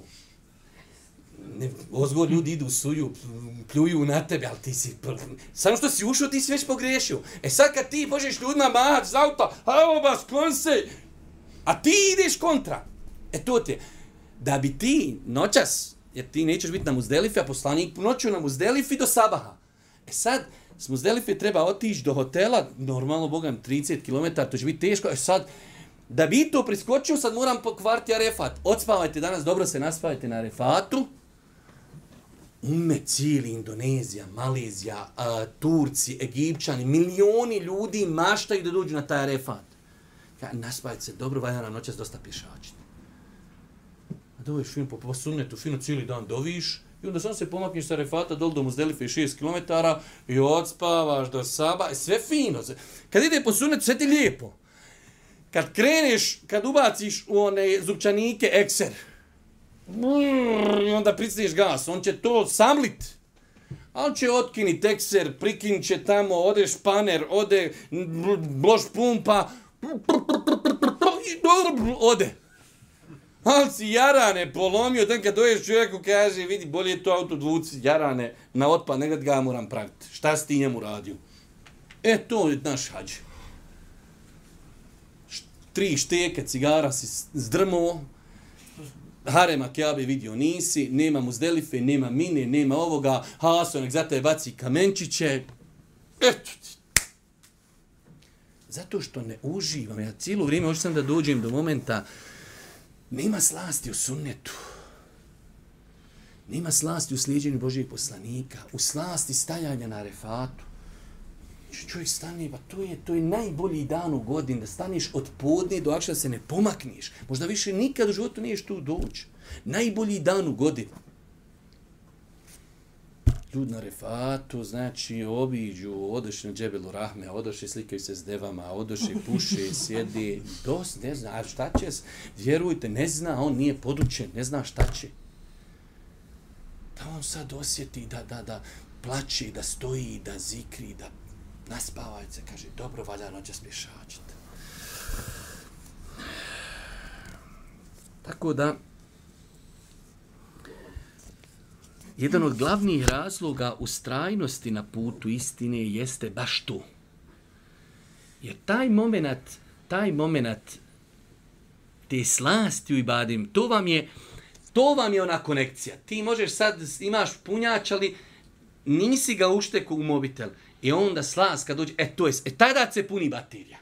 ne, ozgod ljudi idu u suju, pljuju na tebe, ali ti si, samo što si ušao, ti si već pogriješio. E sad kad ti počneš ljudima mahat z auta, hajmo ba, sklon se, a ti ideš kontra. E to ti je. Da bi ti noćas jer ti nećeš biti na Muzdelifi, a poslanik noću na Muzdelifi do sabaha. E sad, s Muzdelife treba otići do hotela, normalno, bogam, trideset kilometara, to će biti teško, e sad, da bi to priskočio, sad moram pokvariti Arefat. Odspavajte danas, dobro se naspavajte na Arefatu. Ume cijeli Indonezija, Malezija, a, Turci, Egipćani, milioni ljudi maštaju da dođu na taj Arefat. Ja, naspavajte se, dobro, valja nam noćas dosta pješačiti. A doviš fin po, po sunnetu, fino cijeli dan doviš, i onda sam se pomakneš sa Arefata dol do Muzdelife šest kilometara i odspavaš do Saba, sve fino. Kad ide po sunnetu, sve ti lijepo. Kad kreneš, kad ubaciš u one zupčanike ekser, i onda pricneš gas, on će to samlit. On će otkinit ekser, prikinit će tamo, ode španer, ode bloš pumpa, i ode. Ali si jarane polomio, dan kad doješ čovjeku kaže, vidi, bolje je to auto dvuci jarane na otpad, nekad ga moram praviti. Šta si ti njemu radio? E, to je naš hađ. Tri šteke cigara si zdrmuo, harema Kjabe vidio nisi, nema Muzdelife, nema Mine, nema ovoga, Haso nek zato je baci kamenčiće. Eto ti. Zato što ne uživam, ja cijelo vrijeme hoću sam da dođem do momenta, nema slasti u sunnetu, nema slasti u slijedjenju Božijeg poslanika, u slasti stajanja na Arefatu. Čovjek stane, pa to je, to je najbolji dan u godini, da staneš od podne do akšama se ne pomakniš. Možda više nikad u životu niješ tu doći. Najbolji dan u godini. Ljud na Arefatu, znači, obiđu, odoši na Džebelu Rahme, odoši slikaju se s devama, odoši puše, sjedi, dost, ne zna, a šta će, vjerujte, ne zna, on nije podučen, ne zna šta će. Da on sad osjeti da, da, da plače, da stoji, da zikri, da naspavajte se, kaže, dobro, valja noća spješačiti. Tako da, jedan od glavnih razloga ustrajnosti na putu istine jeste baš tu. Jer taj moment, taj moment te slasti u ibadim, to vam je, to vam je ona konekcija. Ti možeš sad, imaš punjač, ali nisi ga ušteku u mobitel. I onda slast kad dođe, e to je, e tada se puni baterija.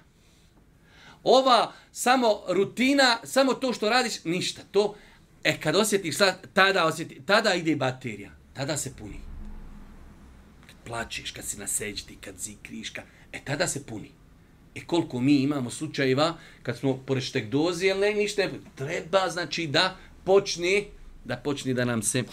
Ova samo rutina, samo to što radiš, ništa. To, e kad osjetiš slast, tada, osjeti, tada ide baterija. Tada se puni. Kad plačeš, kad si na seđdi, kad zikriš, kad, e tada se puni. E koliko mi imamo slučajeva, kad smo pored štekdozi, jel ne, ništa ne, treba znači da počne, da počne da nam se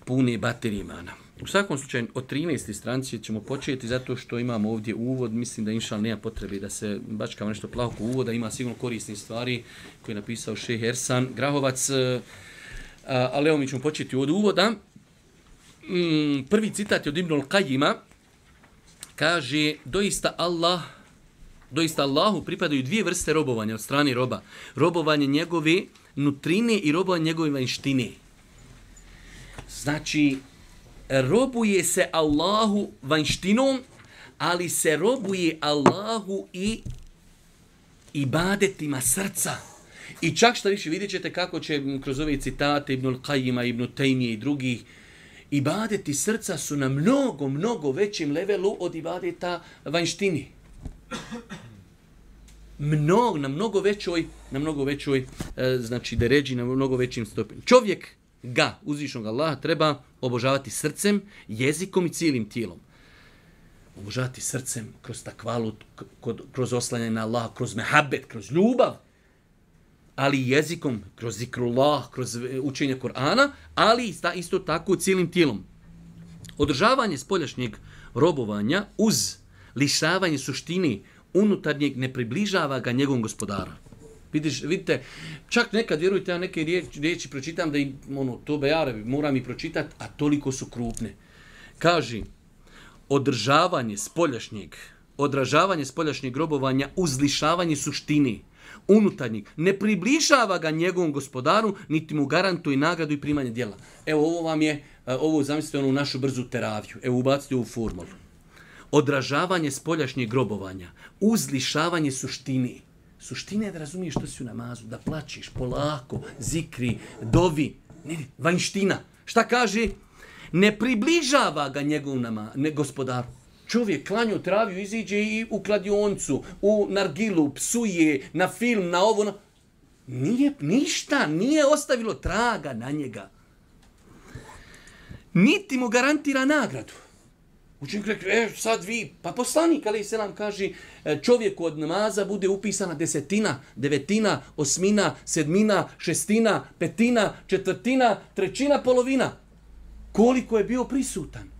puni baterije imana. U svakom slučaju, od trinaeste stranice ćemo početi, zato što imamo ovdje uvod, mislim da inšal nema potrebe da se bačkamo nešto plavo oko uvoda, ima sigurno korisnih stvari koje je napisao šejh Ersan Grahovac, ali evo mi ćemo početi od uvoda. Prvi citat je od Ibnul Qajima, kaže, doista Allah, doista Allahu pripadaju dvije vrste robovanja od strane roba. Robovanje njegove nutrine i robovanje njegove vanjštine. Znači, robuje se Allahu vanjštinom, ali se robuje Allahu i ibadetima srca. I čak što više vidjet ćete kako će kroz ove citate Ibnul Qajima, Ibnu Tejmije i drugih, ibadeti srca su na mnogo, mnogo većem levelu od ibadeta vanjštini. Mnogo, na mnogo većoj, na mnogo većoj, e, znači deređi, na mnogo većim stopnjima. Čovjek ga, uzvišnog Allaha, treba obožavati srcem, jezikom i cijelim tijelom. Obožavati srcem kroz takvalu, kroz oslanjanje na Allaha, kroz mehabet, kroz ljubav, ali jezikom, kroz zikrullah, kroz učenje Kur'ana, ali isto tako cijelim tijelom. Održavanje spoljašnjeg robovanja uz lišavanje suštine unutarnjeg ne približava ga njegovom gospodaru. Vidiš, vidite, čak nekad, vjerujte, ja neke riječi, riječi pročitam da i, ono, to bejarevi, moram i pročitati, a toliko su krupne. Kaže, održavanje spoljašnjeg, odražavanje spoljašnjeg robovanja uz lišavanje suštine unutarnjeg ne približava ga njegovom gospodaru, niti mu garantuje nagradu i primanje djela. Evo, ovo vam je, ovo zamislite onu našu brzu teraviju. Evo, ubacite ovu formulu. Odražavanje spoljašnjeg robovanja uz lišavanje suštine. Suština je da razumiješ što si u namazu, da plačiš polako, zikri, dovi. Ne, ne, vanština. Šta kaže? Ne približava ga njegov nama, ne gospodaru. Čovjek klanju traviju, iziđe i u kladioncu, u nargilu, psuje, na film, na ovo. Na... Nije ništa, nije ostavilo traga na njega. Niti mu garantira nagradu. Učenik rekao, e, sad vi, pa poslanik, ali se nam kaže, čovjeku od namaza bude upisana desetina, devetina, osmina, sedmina, šestina, petina, četvrtina, trećina, polovina. Koliko je bio prisutan?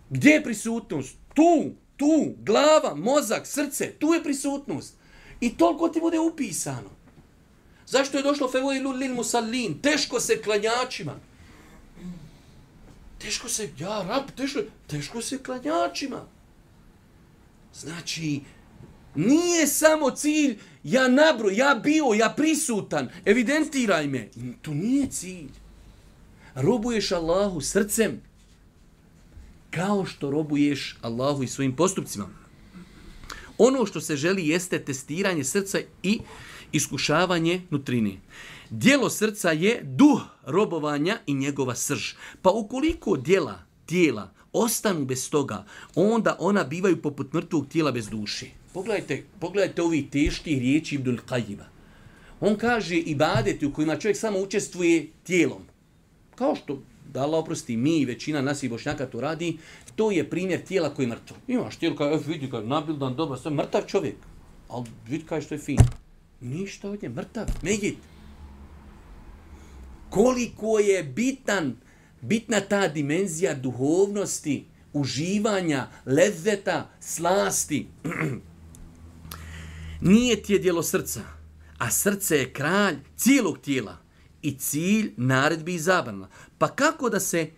Gdje je prisutnost? Tu, tu, glava, mozak, srce, tu je prisutnost. I toliko ti bude upisano. Zašto je došlo fevojlu lil musallin? Teško se klanjačima. Teško se, ja rab, teško, teško se klanjačima. Znači, nije samo cilj, ja nabro, ja bio, ja prisutan, evidentiraj me. To nije cilj. Robuješ Allahu srcem, kao što robuješ Allahu i svojim postupcima. Ono što se želi jeste testiranje srca i iskušavanje nutrine. Dijelo srca je duh robovanja i njegova srž. Pa ukoliko dijela tijela ostanu bez toga, onda ona bivaju poput mrtvog tijela bez duše. Pogledajte, pogledajte ovi teški riječi Ibnul Qajima. On kaže ibadeti u kojima čovjek samo učestvuje tijelom. Kao što, da Allah oprosti, mi i većina nas i Bošnjaka to radi, to je primjer tijela koji je mrtvo. Imaš tijelo kao, vidi kao, nabildan, dobar, sve mrtav čovjek. Ali vidi kao što je fin. Ništa od nje, mrtav, megit. Koliko je bitan, bitna ta dimenzija duhovnosti, uživanja, lezeta, slasti. Nije ti je dijelo srca, a srce je kralj cijelog tijela i cilj naredbi i zabrana. Pa kako da se,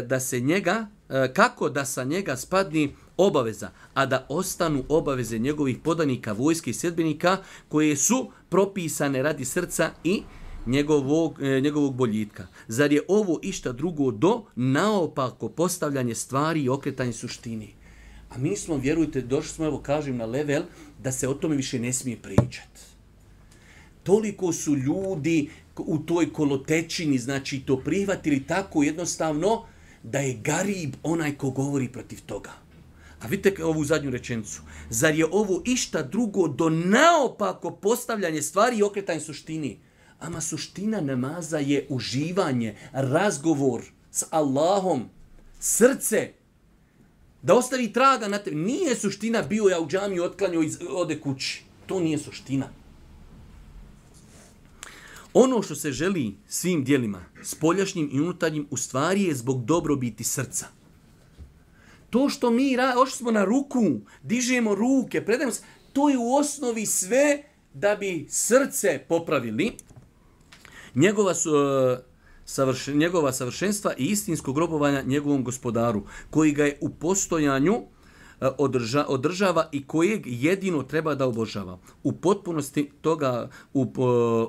da se njega, kako da sa njega spadni obaveza, a da ostanu obaveze njegovih podanika, vojske i sjedbenika koje su propisane radi srca i njegovog, njegovog boljitka. Zar je ovo išta drugo do naopako postavljanje stvari i okretanje suštini? A mi smo, vjerujte, došli smo, evo kažem, na level da se o tome više ne smije pričati. Toliko su ljudi u toj kolotečini, znači to prihvatili tako jednostavno da je garib onaj ko govori protiv toga. A vidite ovu zadnju rečenicu. Zar je ovo išta drugo do naopako postavljanje stvari i okretanje suštini? Ama suština namaza je uživanje, razgovor s Allahom, srce, da ostavi traga na tebi. Nije suština bio ja u džamiju otklanio i ode kući. To nije suština. Ono što se želi svim dijelima, spoljašnjim i unutarnjim, u stvari je zbog dobrobiti srca. To što mi ošli smo na ruku, dižemo ruke, predajemo se, to je u osnovi sve da bi srce popravili. Njegova, su, savrš, njegova savršenstva i istinskog robovanja njegovom gospodaru, koji ga je u postojanju održa, održava i kojeg jedino treba da obožava. U potpunosti toga, u,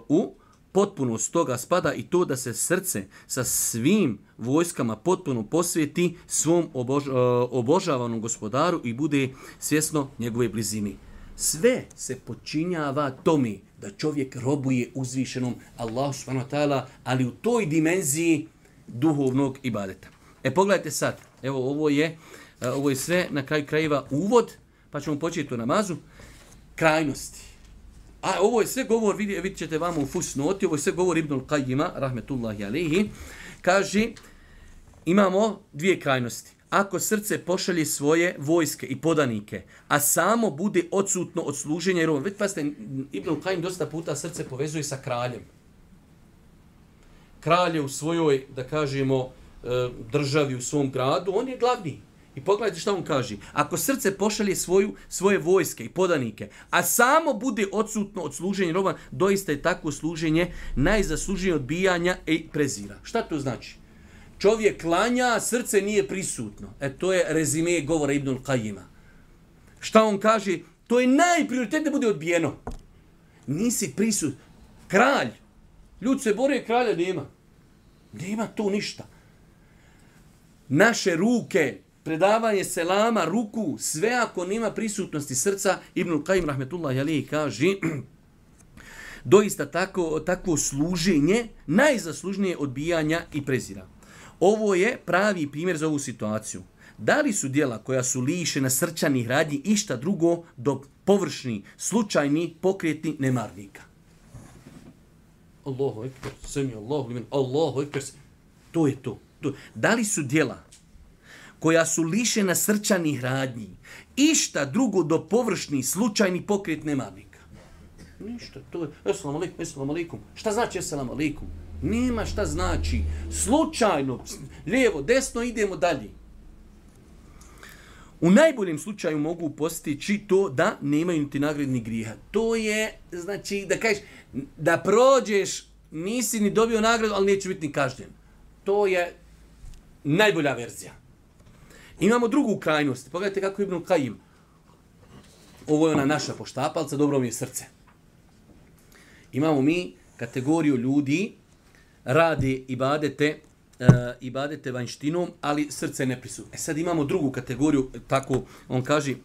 u potpunost toga spada i to da se srce sa svim vojskama potpuno posvijeti svom obož, obožavanom gospodaru i bude svjesno njegove blizini. Sve se počinjava tome da čovjek robuje uzvišenom Allahu subhanahu wa ta'ala, ali u toj dimenziji duhovnog ibadeta. E pogledajte sad, evo ovo je, ovo je sve na kraju krajeva uvod, pa ćemo početi u namazu. Krajnosti. A ovo je sve govor, vidjet, vidjet ćete vamo u fusnoti, ovo je sve govor Ibnul Qajima, rahmetullahi alejhi, kaže, imamo dvije krajnosti. Ako srce pošalje svoje vojske i podanike, a samo bude odsutno od služenja i robom. Vidite, pasite, Ibnul Qajim dosta puta srce povezuje sa kraljem. Kralj je u svojoj, da kažemo, državi, u svom gradu, on je glavni. I pogledajte šta on kaže. Ako srce pošalje svoju, svoje vojske i podanike, a samo bude odsutno od služenja roba, doista je takvo služenje najzasluženije odbijanja i prezira. Šta to znači? Čovjek klanja, srce nije prisutno. E to je rezime govora Ibnul Qajima. Šta on kaže? To je najprioritet da bude odbijeno. Nisi prisut. Kralj. Ljudi se bore, kralja nema. Nema to ništa. Naše ruke, predavanje selama, ruku, sve ako nema prisutnosti srca, Ibnul Qajim rahmetullahi alejhi kaže Doista tako, takvo služenje najzaslužnije odbijanja i prezira. Ovo je pravi primjer za ovu situaciju. Da li su djela koja su lišena srčanih radnji išta drugo do površni, slučajni, pokretni nemarnika? Allahu ekber, sami Allahu limen, Allahu ekber. To je to. to. Da li su djela koja su lišena srčanih radnji išta drugo do površni, slučajni, pokret nemarnika? Ništa, to je eselamu alaikum, eselamu alaikum. Šta znači eselamu alaikum? Nema šta znači. Slučajno, lijevo, desno, idemo dalje. U najboljem slučaju mogu postići to da nemaju niti nagradni grijeha. To je, znači, da kažeš, da prođeš, nisi ni dobio nagradu, ali neće biti ni kažnjen. To je najbolja verzija. Imamo drugu krajnost. Pogledajte kako Ibn Kajim. Ovo je ona naša poštapalca, dobro mi je srce. Imamo mi kategoriju ljudi, rade ibadete, uh, ibadete vanjštinom, ali srce je neprisutno. E sad imamo drugu kategoriju, tako on kaže,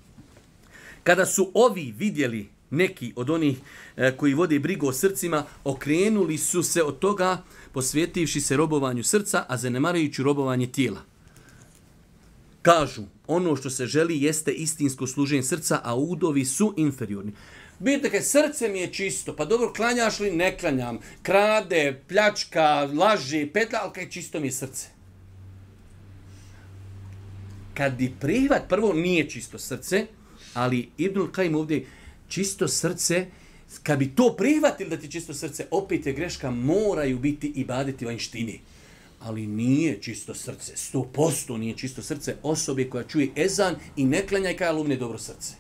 kada su ovi vidjeli neki od onih uh, koji vode brigu o srcima, okrenuli su se od toga, posvetivši se robovanju srca, a zanemarujući robovanje tijela. Kažu, ono što se želi jeste istinsko služenje srca, a udovi su inferiorni. Vidite kaj, srce mi je čisto, pa dobro, klanjaš li? Ne klanjam. Krade, pljačka, laži, petlja, ali kaj čisto mi je srce. Kad bi prihvat, prvo nije čisto srce, ali Ibnul Kajim ovdje, čisto srce, kad bi to prihvatili da ti čisto srce, opet je greška, moraju biti ibadeti vanjštini. Ali nije čisto srce, sto posto nije čisto srce osobe koja čuje ezan i ne klanja i kaj lumne dobro srce.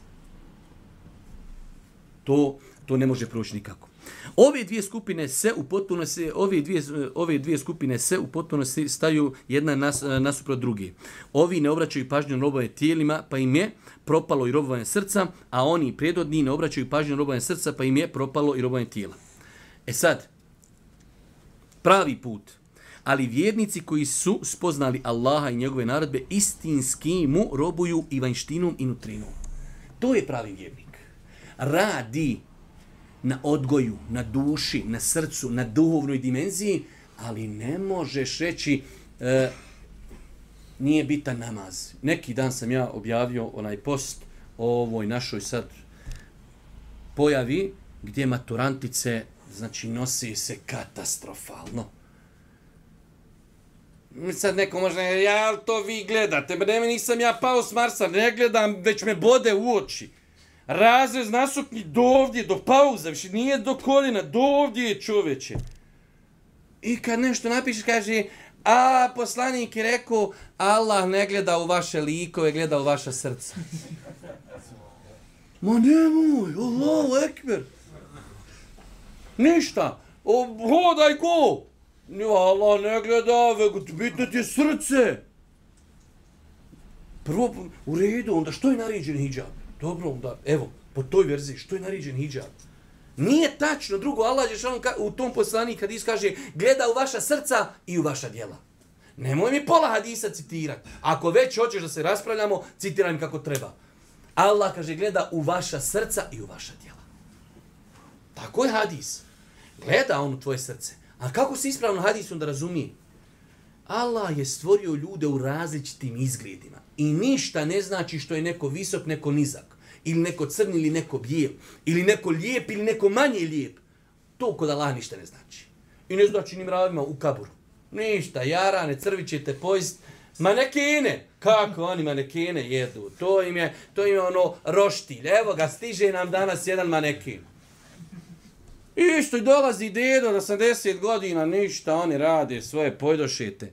To, to ne može proći nikako. Ove dvije skupine se u potpunosti, ove dvije, ove dvije skupine se u potpunosti staju jedna nas, nasuprot druge. Ovi ne obraćaju pažnju na robovanje tijelima, pa im je propalo i robovanje srca, a oni predodni ne obraćaju pažnju na robovanje srca, pa im je propalo i robovanje tijela. E sad, pravi put. Ali vjernici koji su spoznali Allaha i njegove naredbe istinski mu robuju i vanjštinom i nutrinom. To je pravi vjernik. Radi na odgoju, na duši, na srcu, na duhovnoj dimenziji, ali ne možeš reći e, nije bitan namaz. Neki dan sam ja objavio onaj post o ovoj našoj sad pojavi gdje maturantice, znači, nosi se katastrofalno. Sad neko može, ja to vi gledate, ne, nisam ja pao s Marsa, ne gledam, već me bode u oči. Razrez nasuknji do ovdje, do pauza, više nije do koljena, do ovdje je čoveče. I kad nešto napišeš, kaže, a poslanik je rekao, Allah ne gleda u vaše likove, gleda u vaša srca. Ma nemoj, Allahu ekber. Ništa, o, hodaj go. Allah ne gleda, bitno ti je srce. Prvo, u redu, onda što je naređen hidžab? Dobro, onda, evo, po toj verziji, što je naređen hidžab? Nije tačno, drugo, Allah je šalom u tom poslani kad iskaže, gleda u vaša srca i u vaša djela. Nemoj mi pola hadisa citirati. Ako već hoćeš da se raspravljamo, citiraj mi kako treba. Allah kaže, gleda u vaša srca i u vaša djela. Tako je hadis. Gleda on u tvoje srce. A kako se ispravno hadisom da razumije? Allah je stvorio ljude u različitim izgledima. I ništa ne znači što je neko visok, neko nizak. Ili neko crni, ili neko bijel. Ili neko lijep, ili neko manje lijep. To kod Allah ništa ne znači. I ne znači ni mravima u kaburu. Ništa, jarane, crvi ćete pojist. Manekine. Kako oni manekine jedu? To im je, to im je ono roštilj. Evo ga, stiže nam danas jedan manekin. Isto i dolazi dedo od osamdeset godina, ništa, oni rade svoje pojdošete.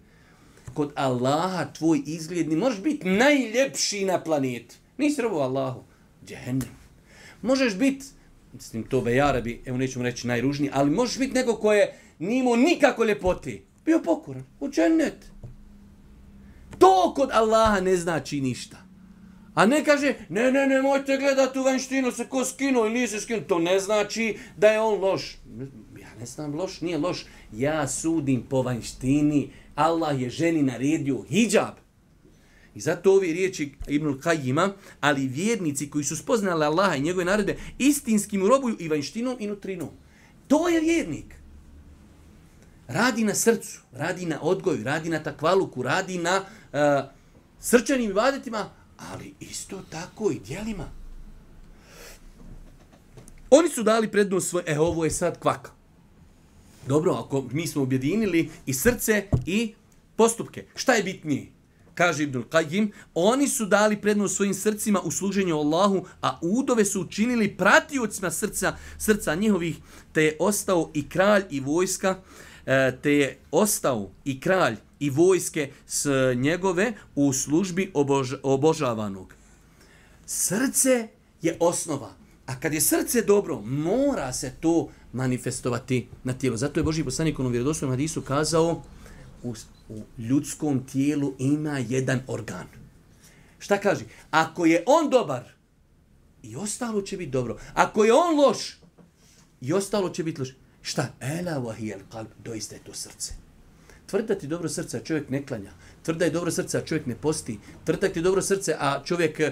Kod Allaha tvoj izgled, možeš biti najljepši na planeti. Nisi robao Allahu. Džehennem. Možeš biti, mislim to bejarabi, evo nećemo reći najružniji, ali možeš biti neko ko je nimao nikako ljepoti. Bio pokoran. U džennet. To kod Allaha ne znači ništa. A ne kaže, ne, ne, ne, mojte gledati u vanjštinu se ko skinuo ili nije se skinuo. To ne znači da je on loš. Ja ne znam, loš, nije loš. Ja sudim po vanjštini. Allah je ženi naredio hidžab. I zato ove riječi Ibnul Kajima, ali vjernici koji su spoznali Allaha i njegove naredbe, istinski mu robuju i vanjštinom i nutrinom. To je vjernik. Radi na srcu, radi na odgoju, radi na takvaluku, radi na uh, srčanim ibadetima, ali isto tako i djelima. Oni su dali prednost svoj, e ovo je sad kvaka. Dobro, ako mi smo objedinili i srce i postupke, šta je bitnije? Kaže Ibnul Qajim, oni su dali prednost svojim srcima u služenju Allahu, a udove su učinili pratiocima srca, srca njihovih, te je ostao i kralj i vojska, te je ostao i kralj i vojske s njegove u službi obož, obožavanog. Srce je osnova, a kad je srce dobro, mora se to manifestovati na tijelo. Zato je Božji poslanik u vjerodostojnom hadisu kazao, u, u ljudskom tijelu ima jedan organ. Šta kaže? Ako je on dobar, i ostalo će biti dobro. Ako je on loš, i ostalo će biti loš. Šta? Ela wahiyal qalb, doista je to srce. Tvrda ti dobro srce, a čovjek ne klanja. Tvrda je dobro srce, a čovjek ne posti. Tvrda ti dobro srce, a čovjek e,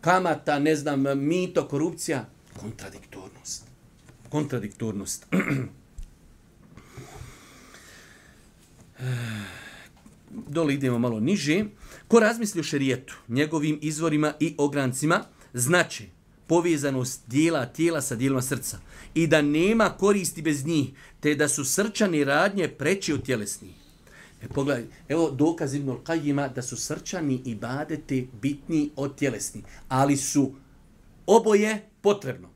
kamata, ne znam, mito, korupcija. Kontradiktornost. Kontradiktornost. Dole idemo malo niže. Ko razmisli o šerijetu, njegovim izvorima i ograncima, znači povezanost dijela tijela sa dijelima srca i da nema koristi bez njih, te da su srčane radnje preći od tjelesnih. E, pogledaj, evo dokaz Ibnul Qajima da su srčani ibadeti bitniji od tjelesnih, ali su oboje potrebno.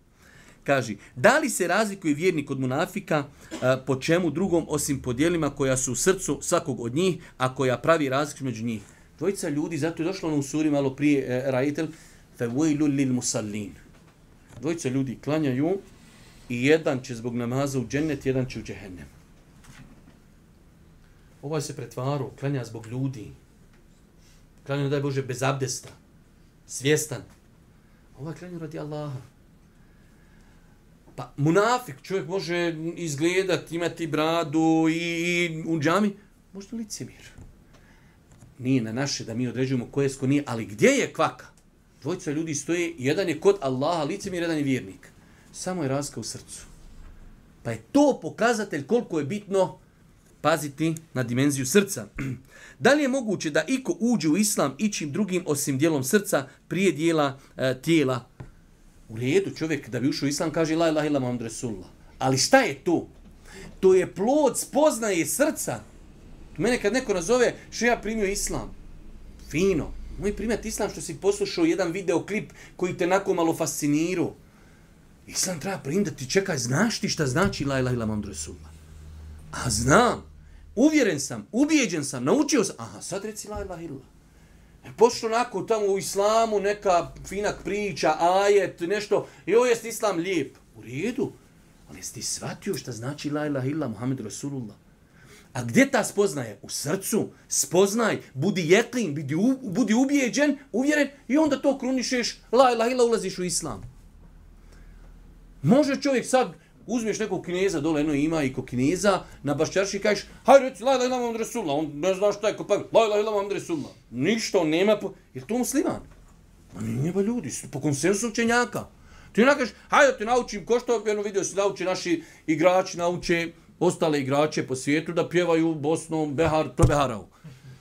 Kaže, da li se razlikuje vjernik od munafika a, po čemu drugom osim po dijelima koja su u srcu svakog od njih, a koja pravi razliku među njih? Dvojica ljudi, zato je došlo u suri malo prije e, Rajitel, فَوَيْلُ لِلْمُسَلِّينَ. Dvojica ljudi klanjaju i jedan će zbog namaza u džennet, jedan će u džehennem. Ovaj se pretvaru, klanja zbog ljudi. Klanja, daj Bože, bez abdesta. Svjestan. Ovaj klanja radi Allaha. Pa munafik, čovjek može izgledat, imati bradu i, i u džami. Možda licemir. Nije na naše da mi određujemo ko je, ko nije, ali gdje je kvaka? Dvojica ljudi stoje, jedan je kod Allaha licemir, jedan je vjernik. Samo je razlika u srcu. Pa je to pokazatelj koliko je bitno paziti na dimenziju srca. Da li je moguće da iko uđe u islam ičim drugim osim dijelom srca prije dijela e, tijela? U redu, čovjek da bi ušao u islam kaže la ilaha illa Muhammed Rasulullah. Ali šta je to? To je plod spoznaje srca. Mene kad neko nazove što ja primio islam, fino. Moj primjer islam što si poslušao jedan videoklip koji te nakon malo fascinirao. Islam treba primiti, čekaj, znaš ti šta znači la ilaha illa Muhammed Rasulullah? A znam, uvjeren sam, ubijeđen sam, naučio sam. Aha, sad reci la ilaha illa. E, pošlo nakon tamo u islamu neka fina priča, ajet, nešto. Jo, jest islam lijep. U redu, ali jesi ti shvatio šta znači la ilaha illa Muhammed Rasulullah? A gdje ta spoznaje? U srcu. Spoznaj, budi jeqin, budi, u, budi ubijeđen, uvjeren i onda to krunišeš, la ilaha illa, ulaziš u islam. Može čovjek sad, uzmeš nekog Kineza, dole jedno ima i ko Kineza, na bašćarši i kažeš, hajde reci, la ilaha illa Muhammed Rasulullah, on ne zna šta je ko pa, la ilaha illa Muhammed Rasulullah. Ništa, on nema, po... je to musliman? Ma nije ba ljudi, po konsensu učenjaka. Ti ne kažeš, hajde ti naučim, ko što jedno video se nauči naši igrači, nauče ostale igrače po svijetu da pjevaju Bosnom, Behar, Probeharao.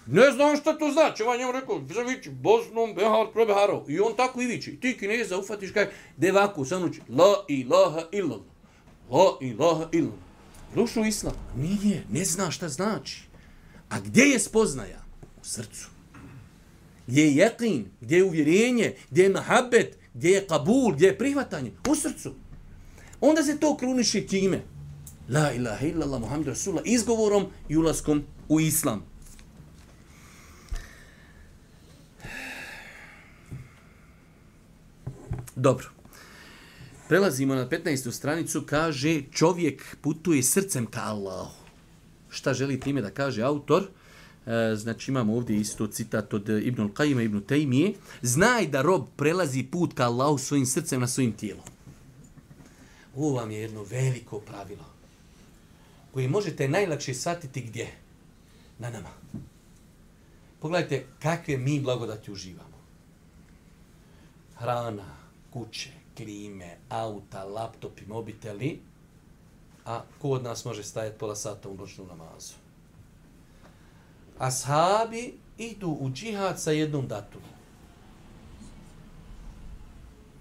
Ne znam šta to znači, ovaj njemu rekao, zavići Bosnom, Behar, Probeharao. I on tako i vići. Ti Kineza ufatiš kaj, devaku, sam uči, la ilaha illallah, la ilaha illallah. Došao islam? Nije, ne zna šta znači. A gdje je spoznaja? U srcu. Gdje je jeqin, gdje je uvjerenje, gdje je mahabbet, gdje je kabul, gdje je prihvatanje? U srcu. Onda se to kruniši time. La ilaha illallah Muhammed Rasulullah, izgovorom i ulaskom u islam. Dobro. Prelazimo na petnaestu stranicu, kaže čovjek putuje srcem ka Allahu. Šta želi time da kaže autor? E, znači imamo ovdje isto citat od Ibnul Qajima, Ibnu Tejmije. Znaj da rob prelazi put ka Allahu svojim srcem na svojim tijelom. Ovo vam je jedno veliko pravilo koje možete najlakše shvatiti gdje? Na nama. Pogledajte kakve mi blagodati uživamo. Hrana, kuće, klime, auta, laptopi, mobiteli. a ko od nas može stajati pola sata u noćnom namazu? Ashabi idu u džihad sa jednom datom.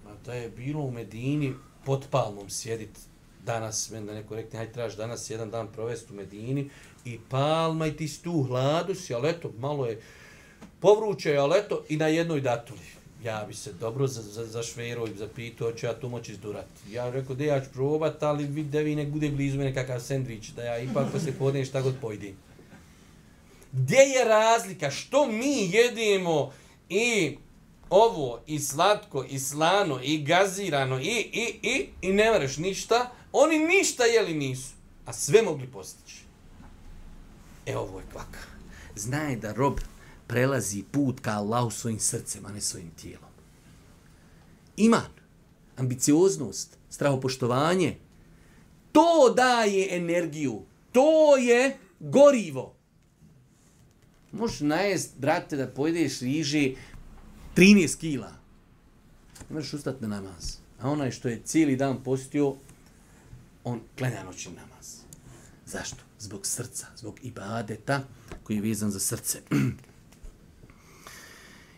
A da je bilo u Medini pod palmom sjediti danas, meni da neko rekne, hajde trebaš danas jedan dan provesti u Medini i palma i ti si tu hladu si, ali eto, malo je povruće, ali eto, i na jednoj datuli. Ja bi se dobro za, za, za švero i zapitao, hoću ja to moći izdurati. Ja rekao, da ja ću probat, ali vid da vi ne bude blizu mene kakav sendvič, da ja ipak posle podne šta god pojedem. Gdje je razlika? Što mi jedemo i ovo, i slatko, i slano, i gazirano, i, i, i, i ne mreš ništa, oni ništa jeli nisu, a sve mogli postići. E, ovo je kvaka. Znaj da rob prelazi put ka Allahu svojim srcem, a ne svojim tijelom. Iman, ambicioznost, strahopoštovanje, to daje energiju, to je gorivo. Možeš najest, brate, da pojedeš riže trinaest kila. Ne možeš ustati na namaz. A onaj što je cijeli dan postio, on klanja noćni namaz. Zašto? Zbog srca, zbog ibadeta koji je vezan za srce.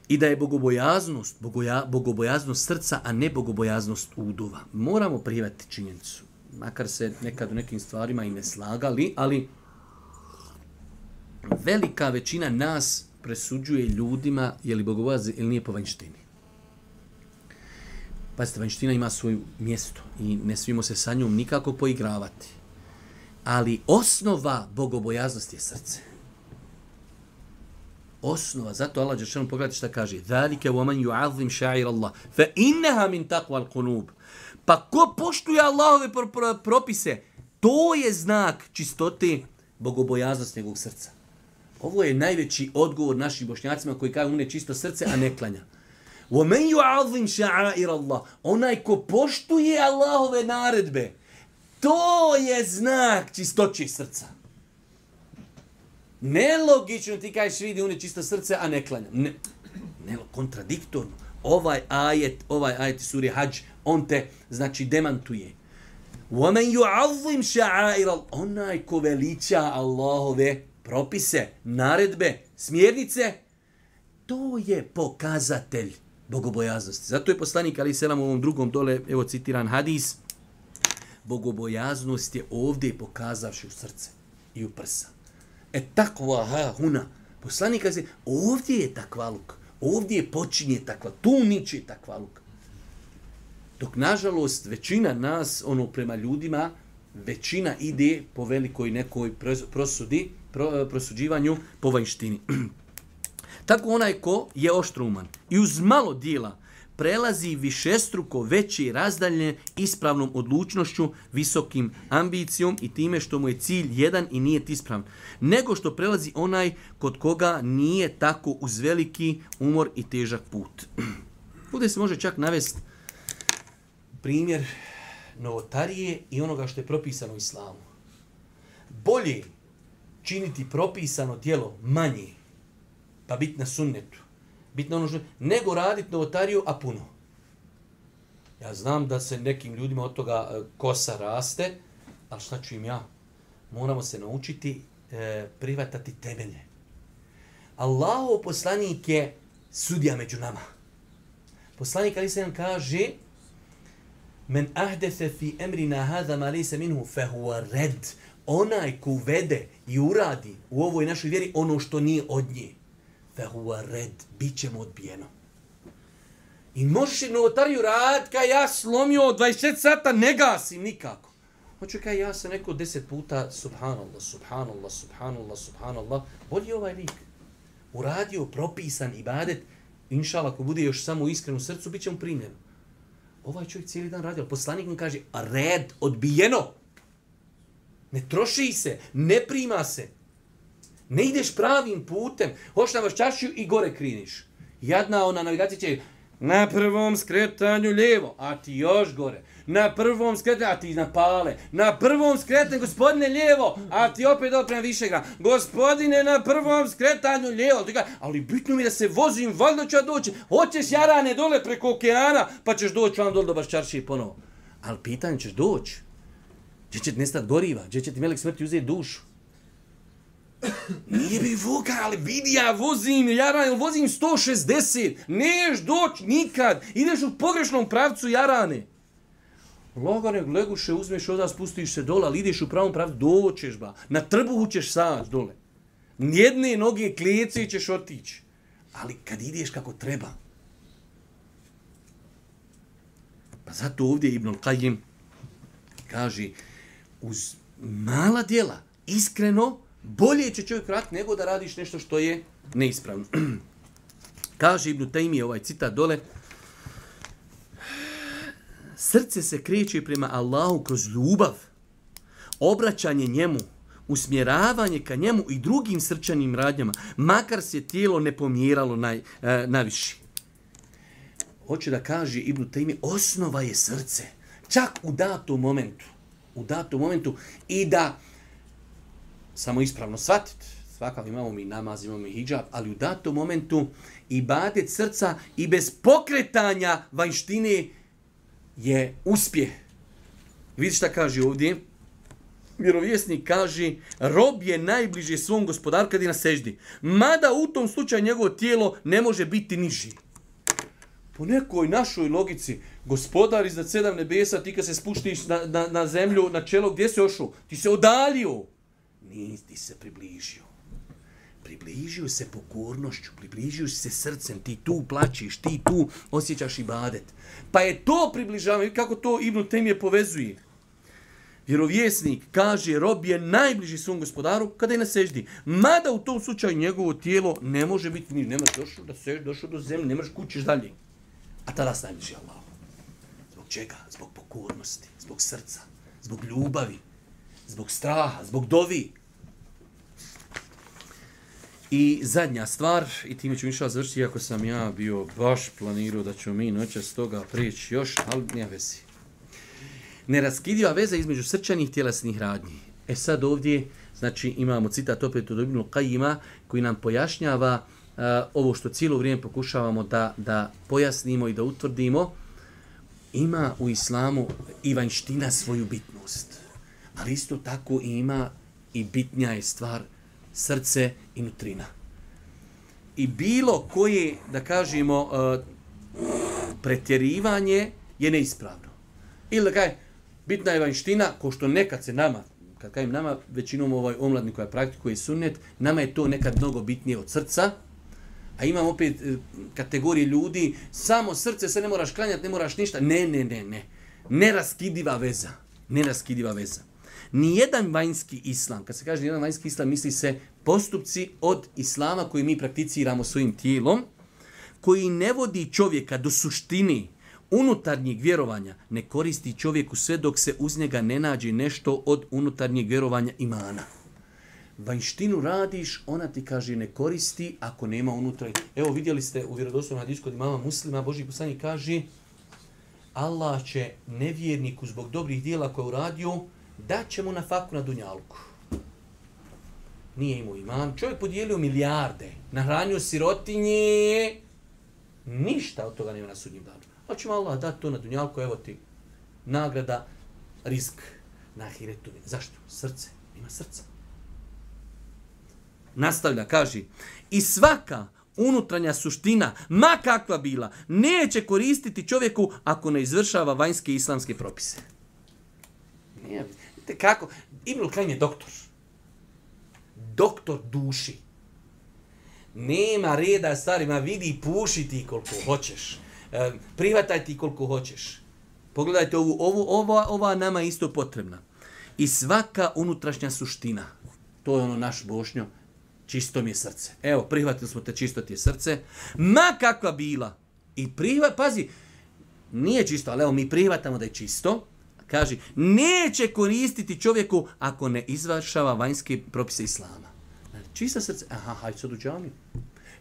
I da je bogobojaznost, bogoja, bogobojaznost srca, a ne bogobojaznost udova. Moramo prihvatiti činjenicu. Makar se nekad u nekim stvarima i ne slagali, ali velika većina nas presuđuje ljudima je li bogobojazan ili nije po vanjštini. Pazite, vanjština ima svoje mjesto i ne smijemo se sa njom nikako poigravati. Ali osnova bogobojaznosti je srce. Osnova, zato Allah dželle pogledajte šta kaže: "Zalika wa man yu'azzim sha'ir Allah, fa innaha min taqwa al-qulub." Pa ko poštuje Allahove pro- pro- propise, to je znak čistote bogobojaznosti njegovog srca. Ovo je najveći odgovor našim Bošnjacima koji kažu ne čisto srce, a ne klanja. Wa man yu'azzim sha'ir Allah, onaj ko poštuje Allahove naredbe, to je znak čistoće srca. Nelogično ti kažeš vidi une čisto srce, a ne klanja. Ne, ne, kontradiktorno. Ovaj ajet, ovaj ajet suri Hadž, on te, znači, demantuje. وَمَنْ يُعَظِّمْ شَعَائِرَ اللَّهِ, onaj ko veliča Allahove propise, naredbe, smjernice, to je pokazatelj bogobojaznosti. Zato je poslanik alejhi selam u ovom drugom dole, evo citiran hadis, bogobojaznost je ovdje pokazavši u srce i u prsa. E takva ha huna. Poslanik kaže, ovdje je takvaluk. Ovdje počinje takva. Tu niče takvaluk. Dok, nažalost, većina nas, ono prema ljudima, većina ide po velikoj nekoj prosudi, pro, prosuđivanju po vanjštini. Tako onaj ko je oštrouman i uz malo dijela prelazi višestruko veće razdalje ispravnom odlučnošću, visokim ambicijom i time što mu je cilj jedan i nije ispravan, nego što prelazi onaj kod koga nije tako uz veliki umor i težak put. Ovdje se može čak navesti primjer novotarije i onoga što je propisano u islamu. Bolje činiti propisano djelo manje, pa biti na sunnetu, bitno ono što, nego raditi novotariju, a puno. Ja znam da se nekim ljudima od toga kosa raste, ali šta ću im ja? Moramo se naučiti e, privatati temelje. Allahov poslanik je sudija među nama. Poslanik ali se nam kaže: "Men ahdatha fi amrina hadha ma laysa minhu fa huwa rad." Onaj ko uvede i uradi u ovoj našoj vjeri ono što nije od nje, fehuva red, bit će mu odbijeno. I možeš novotariju rad, kaj ja slomio dvadeset četiri sata, ne gasim nikako. Hoću kaj ja sam rekao deset puta, subhanallah, subhanallah, subhanallah, subhanallah, bolji ovaj lik. Uradio propisan ibadet, inšala, ako bude još samo iskreno u srcu, bit će mu primljeno. Ovaj čovjek cijeli dan radio, poslanik mu kaže, red, odbijeno. Ne troši se, ne prima se. Ne ideš pravim putem, hoćeš na vaščašiju i gore kriniš. Jadna ona navigacija će na prvom skretanju lijevo, a ti još gore. Na prvom skretanju, a ti na pale. Na prvom skretanju, gospodine, lijevo, a ti opet oprema višega. Gospodine, na prvom skretanju lijevo. Ali bitno mi da se vozim, valjda ću ja doći. Hoćeš jarane dole preko okeana, pa ćeš doći vam dole do vaščašije ponovo. Ali pitanje ćeš doći. Gdje će ti nestati goriva? Gdje će ti melek smrti uzeti dušu? Nije bi voka, ali vidi, ja vozim, Jarane, vozim sto šezdeset. Neš doći nikad. Ideš u pogrešnom pravcu, Jarane. Lagane, leguše, uzmeš od vas, spustiš se dole, ali ideš u pravom pravcu, doćeš ba. Na trbuhu ćeš sać dole. Jedne noge klijece ćeš otići. Ali kad ideš kako treba. Pa zato ovdje Ibnul Qajim kaže, uz mala djela, iskreno, bolje će čovjek raditi nego da radiš nešto što je neispravno. Kaže Ibn Tejmije, ovaj citat dole, srce se kreće prema Allahu kroz ljubav, obraćanje njemu, usmjeravanje ka njemu i drugim srčanim radnjama, makar se tijelo ne pomjeralo naj, e, naviši. Hoće da kaže Ibn Tejmije, osnova je srce. Čak u datom momentu. U datom momentu i da samo ispravno shvatiti. Svakako imamo mi namaz, imamo mi hidžab, ali u datom momentu ibadet srca i bez pokretanja vanjštine je uspjeh. Vidite šta kaže ovdje? Vjerovjesnik kaže, rob je najbliže svom gospodaru kad je na seždi. Mada u tom slučaju njegovo tijelo ne može biti niži. Po nekoj našoj logici, gospodar iznad sedam nebesa, ti kad se spuštiš na, na, na zemlju, na čelo, gdje se ošao? Ti se odaljio. Nisi ti se približio. Približio se pokornošću, približio se srcem, ti tu plačiš, ti tu osjećaš ibadet. Pa je to približavanje, kako to Ibn Tejmije povezuje. Vjerovjesnik kaže, rob je najbliži svom gospodaru kada je na seždi. Mada u tom slučaju njegovo tijelo ne može biti niži. Nemaš došao da seždi, došao do zemlje, nemaš kućeš dalje. A tada se najbliži Allah. Zbog čega? Zbog pokornosti, zbog srca, zbog ljubavi, zbog straha, zbog dovi. I zadnja stvar, i time ću išla završiti, iako sam ja bio baš planirao da ću mi noćas toga prijeći još, ali nije vezi. Neraskidiva veza između srčanih tjelesnih radnji. E sad ovdje, znači imamo citat opet od Ibnul Qajima koji nam pojašnjava uh, ovo što cijelo vrijeme pokušavamo da, da pojasnimo i da utvrdimo. Ima u islamu i vanjština svoju bitnost, ali isto tako ima i bitnija je stvar srce i nutrina. I bilo koje, da kažemo, uh, pretjerivanje je neispravno. Ili da kaj, bitna je vanjština, ko što nekad se nama, kad kajem nama, većinom ovaj omladnik koja praktikuje sunnet, nama je to nekad mnogo bitnije od srca, a imam opet kategorije ljudi, samo srce se ne moraš klanjati, ne moraš ništa. Ne, ne, ne, ne. Neraskidiva veza. Neraskidiva veza. Nijedan vanjski islam, kad se kaže nijedan vanjski islam, misli se postupci od islama koji mi prakticiramo svojim tijelom, koji ne vodi čovjeka do suštine unutarnjeg vjerovanja, ne koristi čovjeku sve dok se uz njega ne nađe nešto od unutarnjeg vjerovanja imana. Vanjštinu radiš, ona ti kaže ne koristi ako nema unutra. Evo vidjeli ste u vjerodostojnom hadisu kod imama Muslima, Božji poslanik kaže, Allah će nevjerniku zbog dobrih dijela koje uradio, dat će mu na faku na dunjalku. Nije imao iman. Čovjek podijelio milijarde, nahranio sirotinje, ništa od toga nema na sudnjem danu. Ali će mu Allah dati to na dunjalku, evo ti nagrada, risk na ahiretu. Zašto? Srce. Ima srca. Nastavlja, kaže, i svaka unutranja suština, ma kakva bila, neće koristiti čovjeku ako ne izvršava vanjske islamske propise. Nije, vidite kako, Ibnul Qajim je doktor. Doktor duši. Nema reda starima, vidi, puši ti koliko hoćeš. E, prihvataj ti koliko hoćeš. Pogledajte ovu, ovu, ova, ova nama je isto potrebna. I svaka unutrašnja suština, to je ono naš Bošnjo, čisto mi je srce. Evo, prihvatili smo te, čisto ti je srce. Ma kakva bila. I prihvat, pazi, nije čisto, ali evo, mi prihvatamo da je čisto. Kaže, neće koristiti čovjeku ako ne izvršava vanjske propise islama. Čisto srce, aha, hajde sad u džamiju.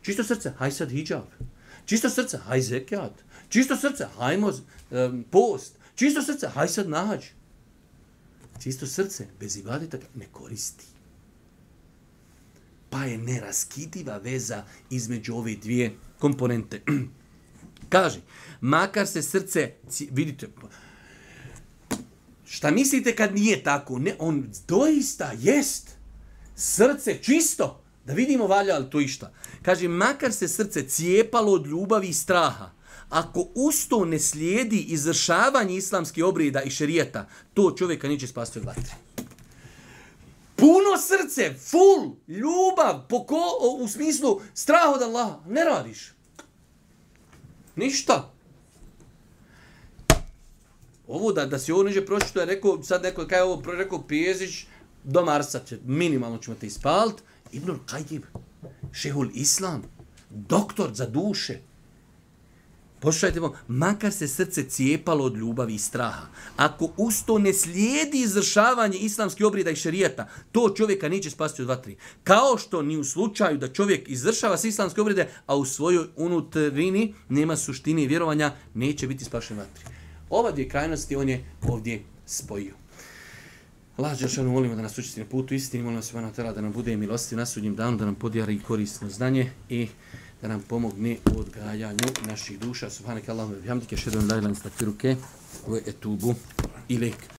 Čisto srce, hajde sad hidžab. Čisto srce, hajde zekijat. Čisto srce, hajmo um, post. Čisto srce, hajde sad nađ. Čisto srce, bez ibadeta ne koristi. Pa je neraskidiva veza između ove dvije komponente. Kaže, makar se srce, vidite, Šta mislite kad nije tako? Ne, on doista jest. Srce čisto. Da vidimo valja li to išta. Kaže, makar se srce cijepalo od ljubavi i straha, ako usto ne slijedi izvršavanje islamskih obreda i šerijata, to čovjeka neće spasti od vatre. Puno srce, full, ljubav, poko, u smislu strah od Allaha. Ne radiš. Ništa. Ovo da, da si ovo neđe proći, što je rekao, sad neko kaj je ovo rekao, Pijezić, do Marsa će, minimalno ćemo te ispalit. Ibnul Qajim, šehul Islam, doktor za duše. Poslušajte, makar se srce cijepalo od ljubavi i straha, ako usto ne slijedi izvršavanje islamskih obreda i šerijata, to čovjeka neće spasti od vatri. Kao što ni u slučaju da čovjek izvršava s islamske obrede, a u svojoj unutrini nema suštine i vjerovanja, neće biti spašen vatri. Ova dvije krajnosti on je ovdje spojio. Allah dželešanu molimo da nas učiti na putu istini, molimo se da nam bude milostiv na sudnjem danu, da nam podijari korisno znanje i da nam pomogne u odgajanju naših duša. Subhanaka Allahumma wa bihamdika, ashhadu an la ilaha illa anta, astaghfiruka wa atubu ilaik.